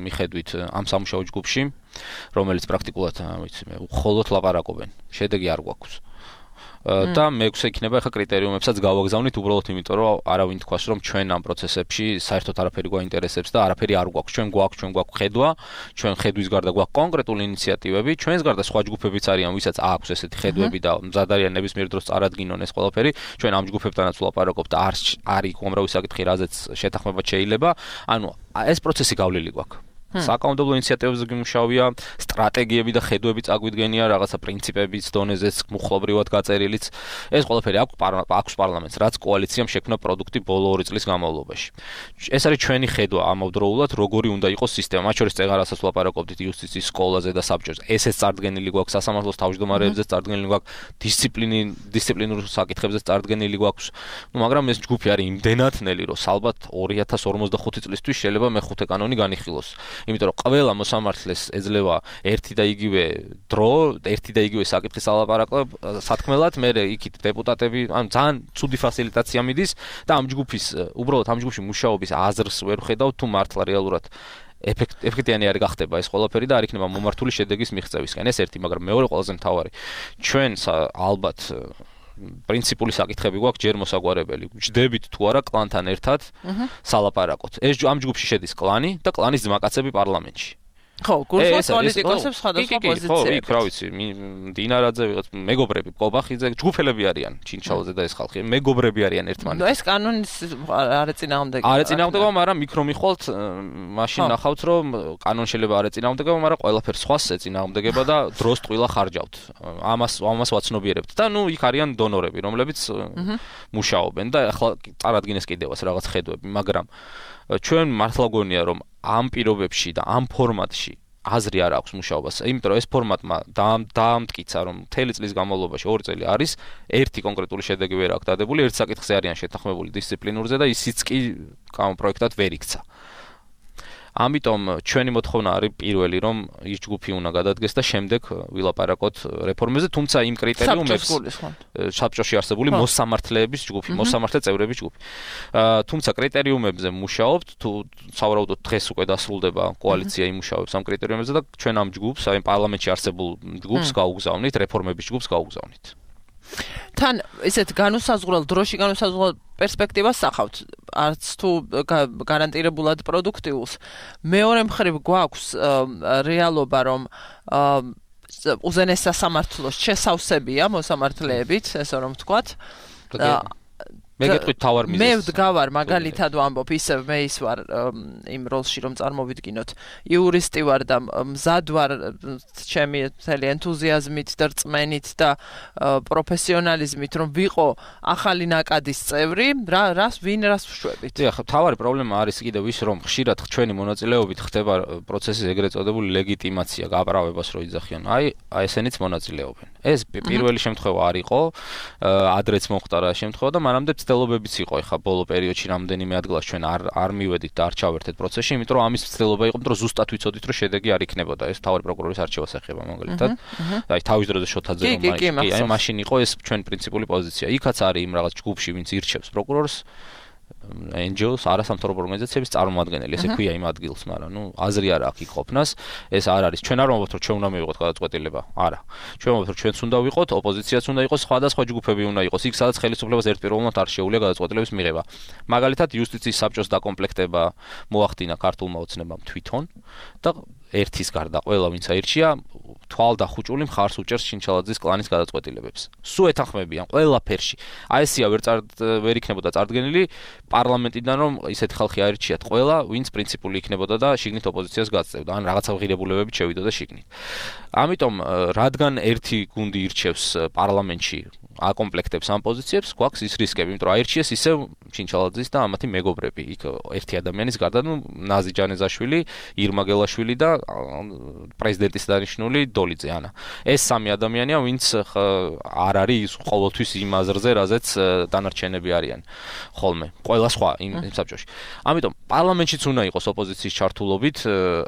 C: მიხედვით ამ სამუშაო ჯგუფში, რომელიც პრაქტიკულად, ვიცი მე, მხოლოდ ლაპარაკობენ. შედეგი არ გვაქვს. და მეექვსე იქნება ახლა კრიტერიუმებსაც გავაგზავნით უბრალოდ იმიტომ რომ არავინ თქვას რომ ჩვენ ამ პროცესებში საერთოდ არაფერი გვაინტერესებს და არაფერი არ გვაქვს ჩვენ გვაქვს ხედვა ჩვენ ხედვის გარდა გვაქვს კონკრეტული ინიციატივები ჩვენს გარდა სხვა ჯგუფებიც არიან ვისაც აქვს ესეთი ხედვები და მზად არიან ნებისმიერ დროს წარადგინონ ეს ყველაფერი ჩვენ ამ ჯგუფებთანაც ვლაპარაკობთ და არის უამრავი საკითხი რაზეც შეთანხმება შეიძლება ანუ ეს პროცესი გავლილი გვაქვს საკანონმდებლო ინიციატივებზე გიმუშავია, სტრატეგიები და ხედვები წაგვიდგენია, რაღაცა პრინციპების დონეზეც მუხლობრივად გაწერილიც. ეს ყველაფერი აქვს პარლამენტს, რაც კოალიციამ შექმნა პროდუქტი ბოლო 2 წლის განმავლობაში. ეს არის ჩვენი ხედვა ამავდროულად, როგორი უნდა იყოს სისტემა. მათ შორის წეღარასაც ვლაპარაკობდით იუსტიციის სკოლაზე და საბჭოზე. ესეც წარდგენილი გვაქვს, სასამართლოს თავმჯდომარეებზეც წარდგენილი გვაქვს, დისციპლინურ საკითხებზეც წარდგენილი გვაქვს. მაგრამ ეს ჯგუფი არის იმდენად ნელი, რომ ალბათ 2045 წლისთვის შეიძლება მე-5 კანონი განიხილოს. იმიტომ რომ ყველა მოსამართლეს ეძლევა ერთი და იგივე დრო, ერთი და იგივე საკითხის ალაპარაკო სათქმელად, მე იქით დეპუტატები, ანუ ძალიან ცუდი ფასილიტაცია მიდის და უბრალოდ ამ ჯგუფში მუშაობის აზრს ვერ ხედავ თუ მართლა რეალურად ეფექტიანი არ გახდება ეს ყველაფერი და არ იქნება მომართული შედეგის მიღწევისკენ. ეს ერთი, მაგრამ მეორე ყველაზე მთავარი. ჩვენ ალბათ პრინციპული საკითხები გვაქვს ჯერ მოსაგვარებელი. ჯდებით თუ არა კლანთან ერთად სალაპარაკოთ. ეს ამ ჯგუფში შედის კლანი და კლანის ძმაკაცები პარლამენტში.
B: ხო, გულსხმობს პოლიტიკოსებს სხვადასხვა პოზიციებში.
C: ხო, რა ვიცი, დინარაძე ვიღაც მეგობრები, კობახიძე, ჯგუფელები არიან, ჩინჩალაძე და ეს ხალხი, მეგობრები არიან ერთმანეთს.
B: ეს კანონის არ ეწინააღმდეგება.
C: არ ეწინააღმდეგება, მაგრამ იქ რომ მიხვალთ, მაშინ ნახავთ, რომ კანონი შეიძლება არ ეწინააღმდეგება, მაგრამ ყველაფერს სხვას ეწინააღმდეგება და დროს ტყილა ხარჯავთ. ამას ვაცნობიერებთ და ნუ იქ არიან დონორები, რომლებიც მუშაობენ და ახლა წარადგინეს კიდევაც რაღაც ხედვები, მაგრამ ჩვენ მართლა გონია რომ ამ პირობებში და ამ ფორმატში აზრი არ აქვს მუშაობას. იმიტომ რომ ეს ფორმატმა დაამტკიცა რომ მთელი წლის განმავლობაში 2 წელი არის ერთი კონკრეტული შედეგი ვერ აქვს დადებული, ერთ საკითხზე არიან შეთანხმებული დისციპლინურზე და ისიც კი პროექტად ვერ იქცა. ამიტომ ჩვენი მოთხოვნა არის პირველი რომ ის ჯგუფი უნდა გადადგეს და შემდეგ ვილაპარაკოთ რეფორმებზე, თუმცა იმ კრიტერიუმებს საბჭოში არსებული მოსამართლეების ჯგუფი, მოსამართლე წევრების ჯგუფი. თუმცა კრიტერიუმებზე მუშაობთ, თუ სავარაუდოდ დღეს უკვე დასრულდება კოალიცია იმუშავებს ამ კრიტერიუმებზე და ჩვენ ამ ჯგუფს, აი პარლამენტში არსებულ ჯგუფს გავუგზავნით, რეფორმების ჯგუფს გავუგზავნით.
B: თან ესეთ დროში განუსაზღვრელ პერსპექტივას სახავთ, არც თუ გარანტირებულად პროდუქტიულს. მეორე მხრივ გვაქვს რეალობა, რომ უზენაეს სასამართლოს შესავსებია მოსამართლეებით, ესე რომ ვთქვათ.
C: მე გეტყვით თავარ მიზეზს.
B: მე ვდგავარ მაგალითად ვამბობ, ისევ მე ის ვარ იმ როლში რომ წარმოვიდგინოთ. იურისტი ვარ და მზად ვარ ჩემი მთელი ენთუზიაზმით და რწმენით და პროფესიონალიზმით რომ ვიყო ახალი ნაკადის წევრი, რას ვშვებით.
C: ახლა თავარი პრობლემა არის კიდევ ის რომ ხშირად ჩვენი მონაწილეობით ხდება პროცესის ეგრეთ წოდებული ლეგიტიმაცია, გაправებას რო იძახიან. აი ესენიც მონაწილეობენ. ეს პირველი შემთხვევა არ იყო, ადრეც მოხდა რა შემთხვევა და მანამდე ცდილობებიც იყო ახლა ბოლო პერიოდში რამდენიმე ადგილას ჩვენ არ მივედით და არ ჩავერთეთ პროცესში, იმიტომ რომ ამის ცდილობა იყო, რომ ზუსტად ვიცოდით, რომ შედეგი არ იქნებოდა. ეს თავარი პროკურორის არჩევას ეხება მაგალითად. აი თავის დროზე შოთაძე რომ აი მაშინ იყო ეს ჩვენ პრინციპული პოზიცია. იქაც არის იმ რაღაც ჯგუფში, ვინც ირჩევს პროკურორს, NGO-ს, არასამთავრობო ორგანიზაციების წარმომადგენელი, ესე ქვია იმ ადგილს, მაგრამ ნუ აზრი არ აქვს იქ ყოფნას, ეს არ არის. ჩვენ არ ვამბობთ, რომ ჩვენ უნდა მივიღოთ გადაწყვეტილება. არა. ჩვენ ვამბობთ, რომ ჩვენც უნდა ვიყოთ, ოპოზიციაც უნდა იყოს, სხვადასხვა ჯგუფები უნდა იყოს. იქ სადაც ხელისუფლებას ერთპიროვნულად არ შეუძლია გადაწყვეტილების მიღება. მაგალითად, იუსტიციის საბჭოს დაკომპლექტება მოახდინა ქართულმა ოცნებამ თვითონ და ერთის გარდა ყველა ვინც აირჩია თვალდახუჭული მხარს უჭერს ჩინჩალაძის კლანის გადაწყვეტილებებს. სულ ეთანხმებიან ყველაფერში. აი ესია ვერ იქნებოდა წარდგენილი პარლამენტიდან რომ ისეთი ხალხი აირჩიათ ყველა, ვინც პრინციპული იქნებოდა და შიგნით ოპოზიციას გაწევდა, ან რაღაცა ღირებულებებით შევიდოდა შიგნით. ამიტომ რადგან ერთი გუნდი ირჩევს პარლამენტში აკომპლექტებს ამ პოზიციებს, გვაქვს ის რისკები, იმიტომ რომ აირჩიეს ისევ ჩინჩალაძის და ამათი მეგობრები. იქ ერთი ადამიანის გარდა, ნაზი ჯანეზაშვილი, ირმა გელაშვილი და პრეზიდენტის დანიშნული დოლიძე ანა. ეს სამი ადამიანია, ვინც არ არის ის ყოველთვის იმ აზრზე, რაზეც დანარჩენები არიან ხოლმე. ყველა სხვა იმ საბჭოში. ამიტომ პარლამენტშიც უნდა იყოს ოპოზიციის ჩართულობით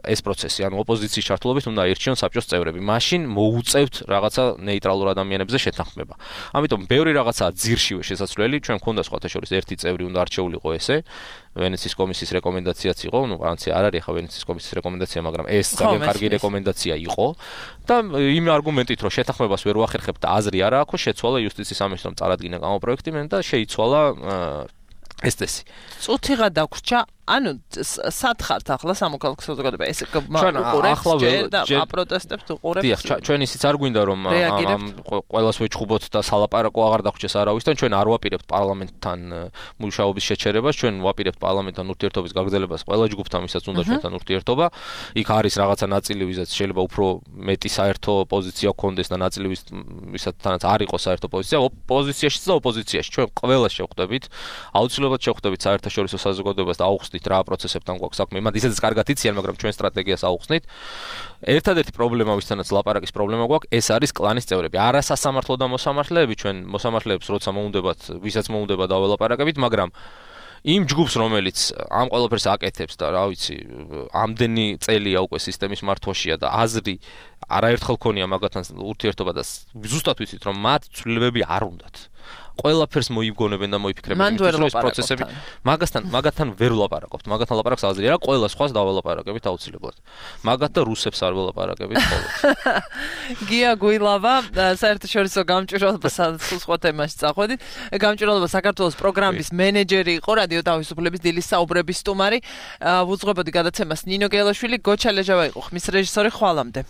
C: ეს პროცესი, ანუ ოპოზიციის ჩართულობით უნდა აირჩიონ საბჭოს წევრები. მაშინ მოუწევთ რაღაცა ნეიტრალურ ადამიანებზე შეთანხმება. ამიტომ ბევრი რაღაცაა ძირშივე შესაძლებელი, ჩვენ მქონდა სხვათა შორის ერთი წევრი უნდა არჩეულიყო ესე. ვენეციის კომისიის რეკომენდაციაც იყო, განცი არ არის ხა ვენეციის კომისიის რეკომენდაცია, მაგრამ ეს ძალიან კარგი რეკომენდაცია იყო და იმ არგუმენტით რომ შეთანხმებას ვერ ვახერხებთ და აზრი არა აქვს, შეცვალა იუსტიციის სამინისტრომ წარადგინა გამოპროექტი და შეიცვალა ეს წესი.
B: წუთიღა დაგვრჩა, ანუ სათხართ ახლა სამოქალაქო საზოგადოება ეს უყურებს და აპროტესტებს უყურებს.
C: დიახ, ჩვენ ისიც არ გვინდა რომ ყველას ვეჩხუბოთ და სალაპარაკო აღარ დაგვრჩეს არავისთან, ჩვენ არ ვაპირებთ პარლამენტთან მუშაობის შეჩერებას, ჩვენ ვაპირებთ პარლამენტთან ურთიერთობის გაგრძელებას ყველა ჯგუფთან, ვისაც უნდა ჩვენთან ურთიერთობა. იქ არის რაღაცა ნაწილი, ვისაც შეიძლება უფრო მეტი საერთო პოზიცია გქონდეს და ნაწილი ვისათანაც არ იყოს საერთო პოზიცია, ოპოზიციაშიც და ოპოზიციაში. ჩვენ ყველას შევხვდებით, აუცილებლად შევხვდებით საერთაშორისო საზოგადოებას და აუხსნით რა პროცესებთან გვაქვს საქმე. მათ ისედაც კარგად იციან, მაგრამ ჩვენ სტრატეგიას აუხსნით. ერთადერთი პრობლემა, ვისთანაც ლაპარაკის პრობლემა გვაქვს, ეს არის კლანის წევრები. არა სასამართლო და მოსამართლეები, ჩვენ მოსამართლეებს როცა მოუნდებათ, ვისაც მოუნდება დაველაპარაკებით, მაგრამ იმ ჯგუფს, რომელიც ამ ყველაფერს აკეთებს და რა ვიცი, ამდენი წელია უკვე სისტემის მართვაშია და აზრი არაერთხელ ქონია მაგათთან ურთიერთობა და ზუსტად ვიცით, რომ მათ ცვლილებები არ უნდათ. ყველაფერს მოიგონებენ და მოიფიქრებენ ის პროცესები. მაგათთან ვერ ვლაპარაკობთ. მაგათთან ლაპარაკს აზრი არა, ყველა სხვას დაველაპარაკებით აუცილებლად. მაგათ და რუსებს არ ველაპარაკებით ხოლმე.
B: გია გუილავა, საერთაშორისო გამჭვირვალობა სხვა თემაში წახვედით. გამჭვირვალობა საქართველოს პროგრამის მენეჯერი იყო, რადიო თავისუფლების დილის საუბრების სტუმარი. ვუძღვებოდი გადაცემას ნინო გელაშვილი, გოჩა ლეჟავა იყო ხმის რეჟისორი. ხვალამდე.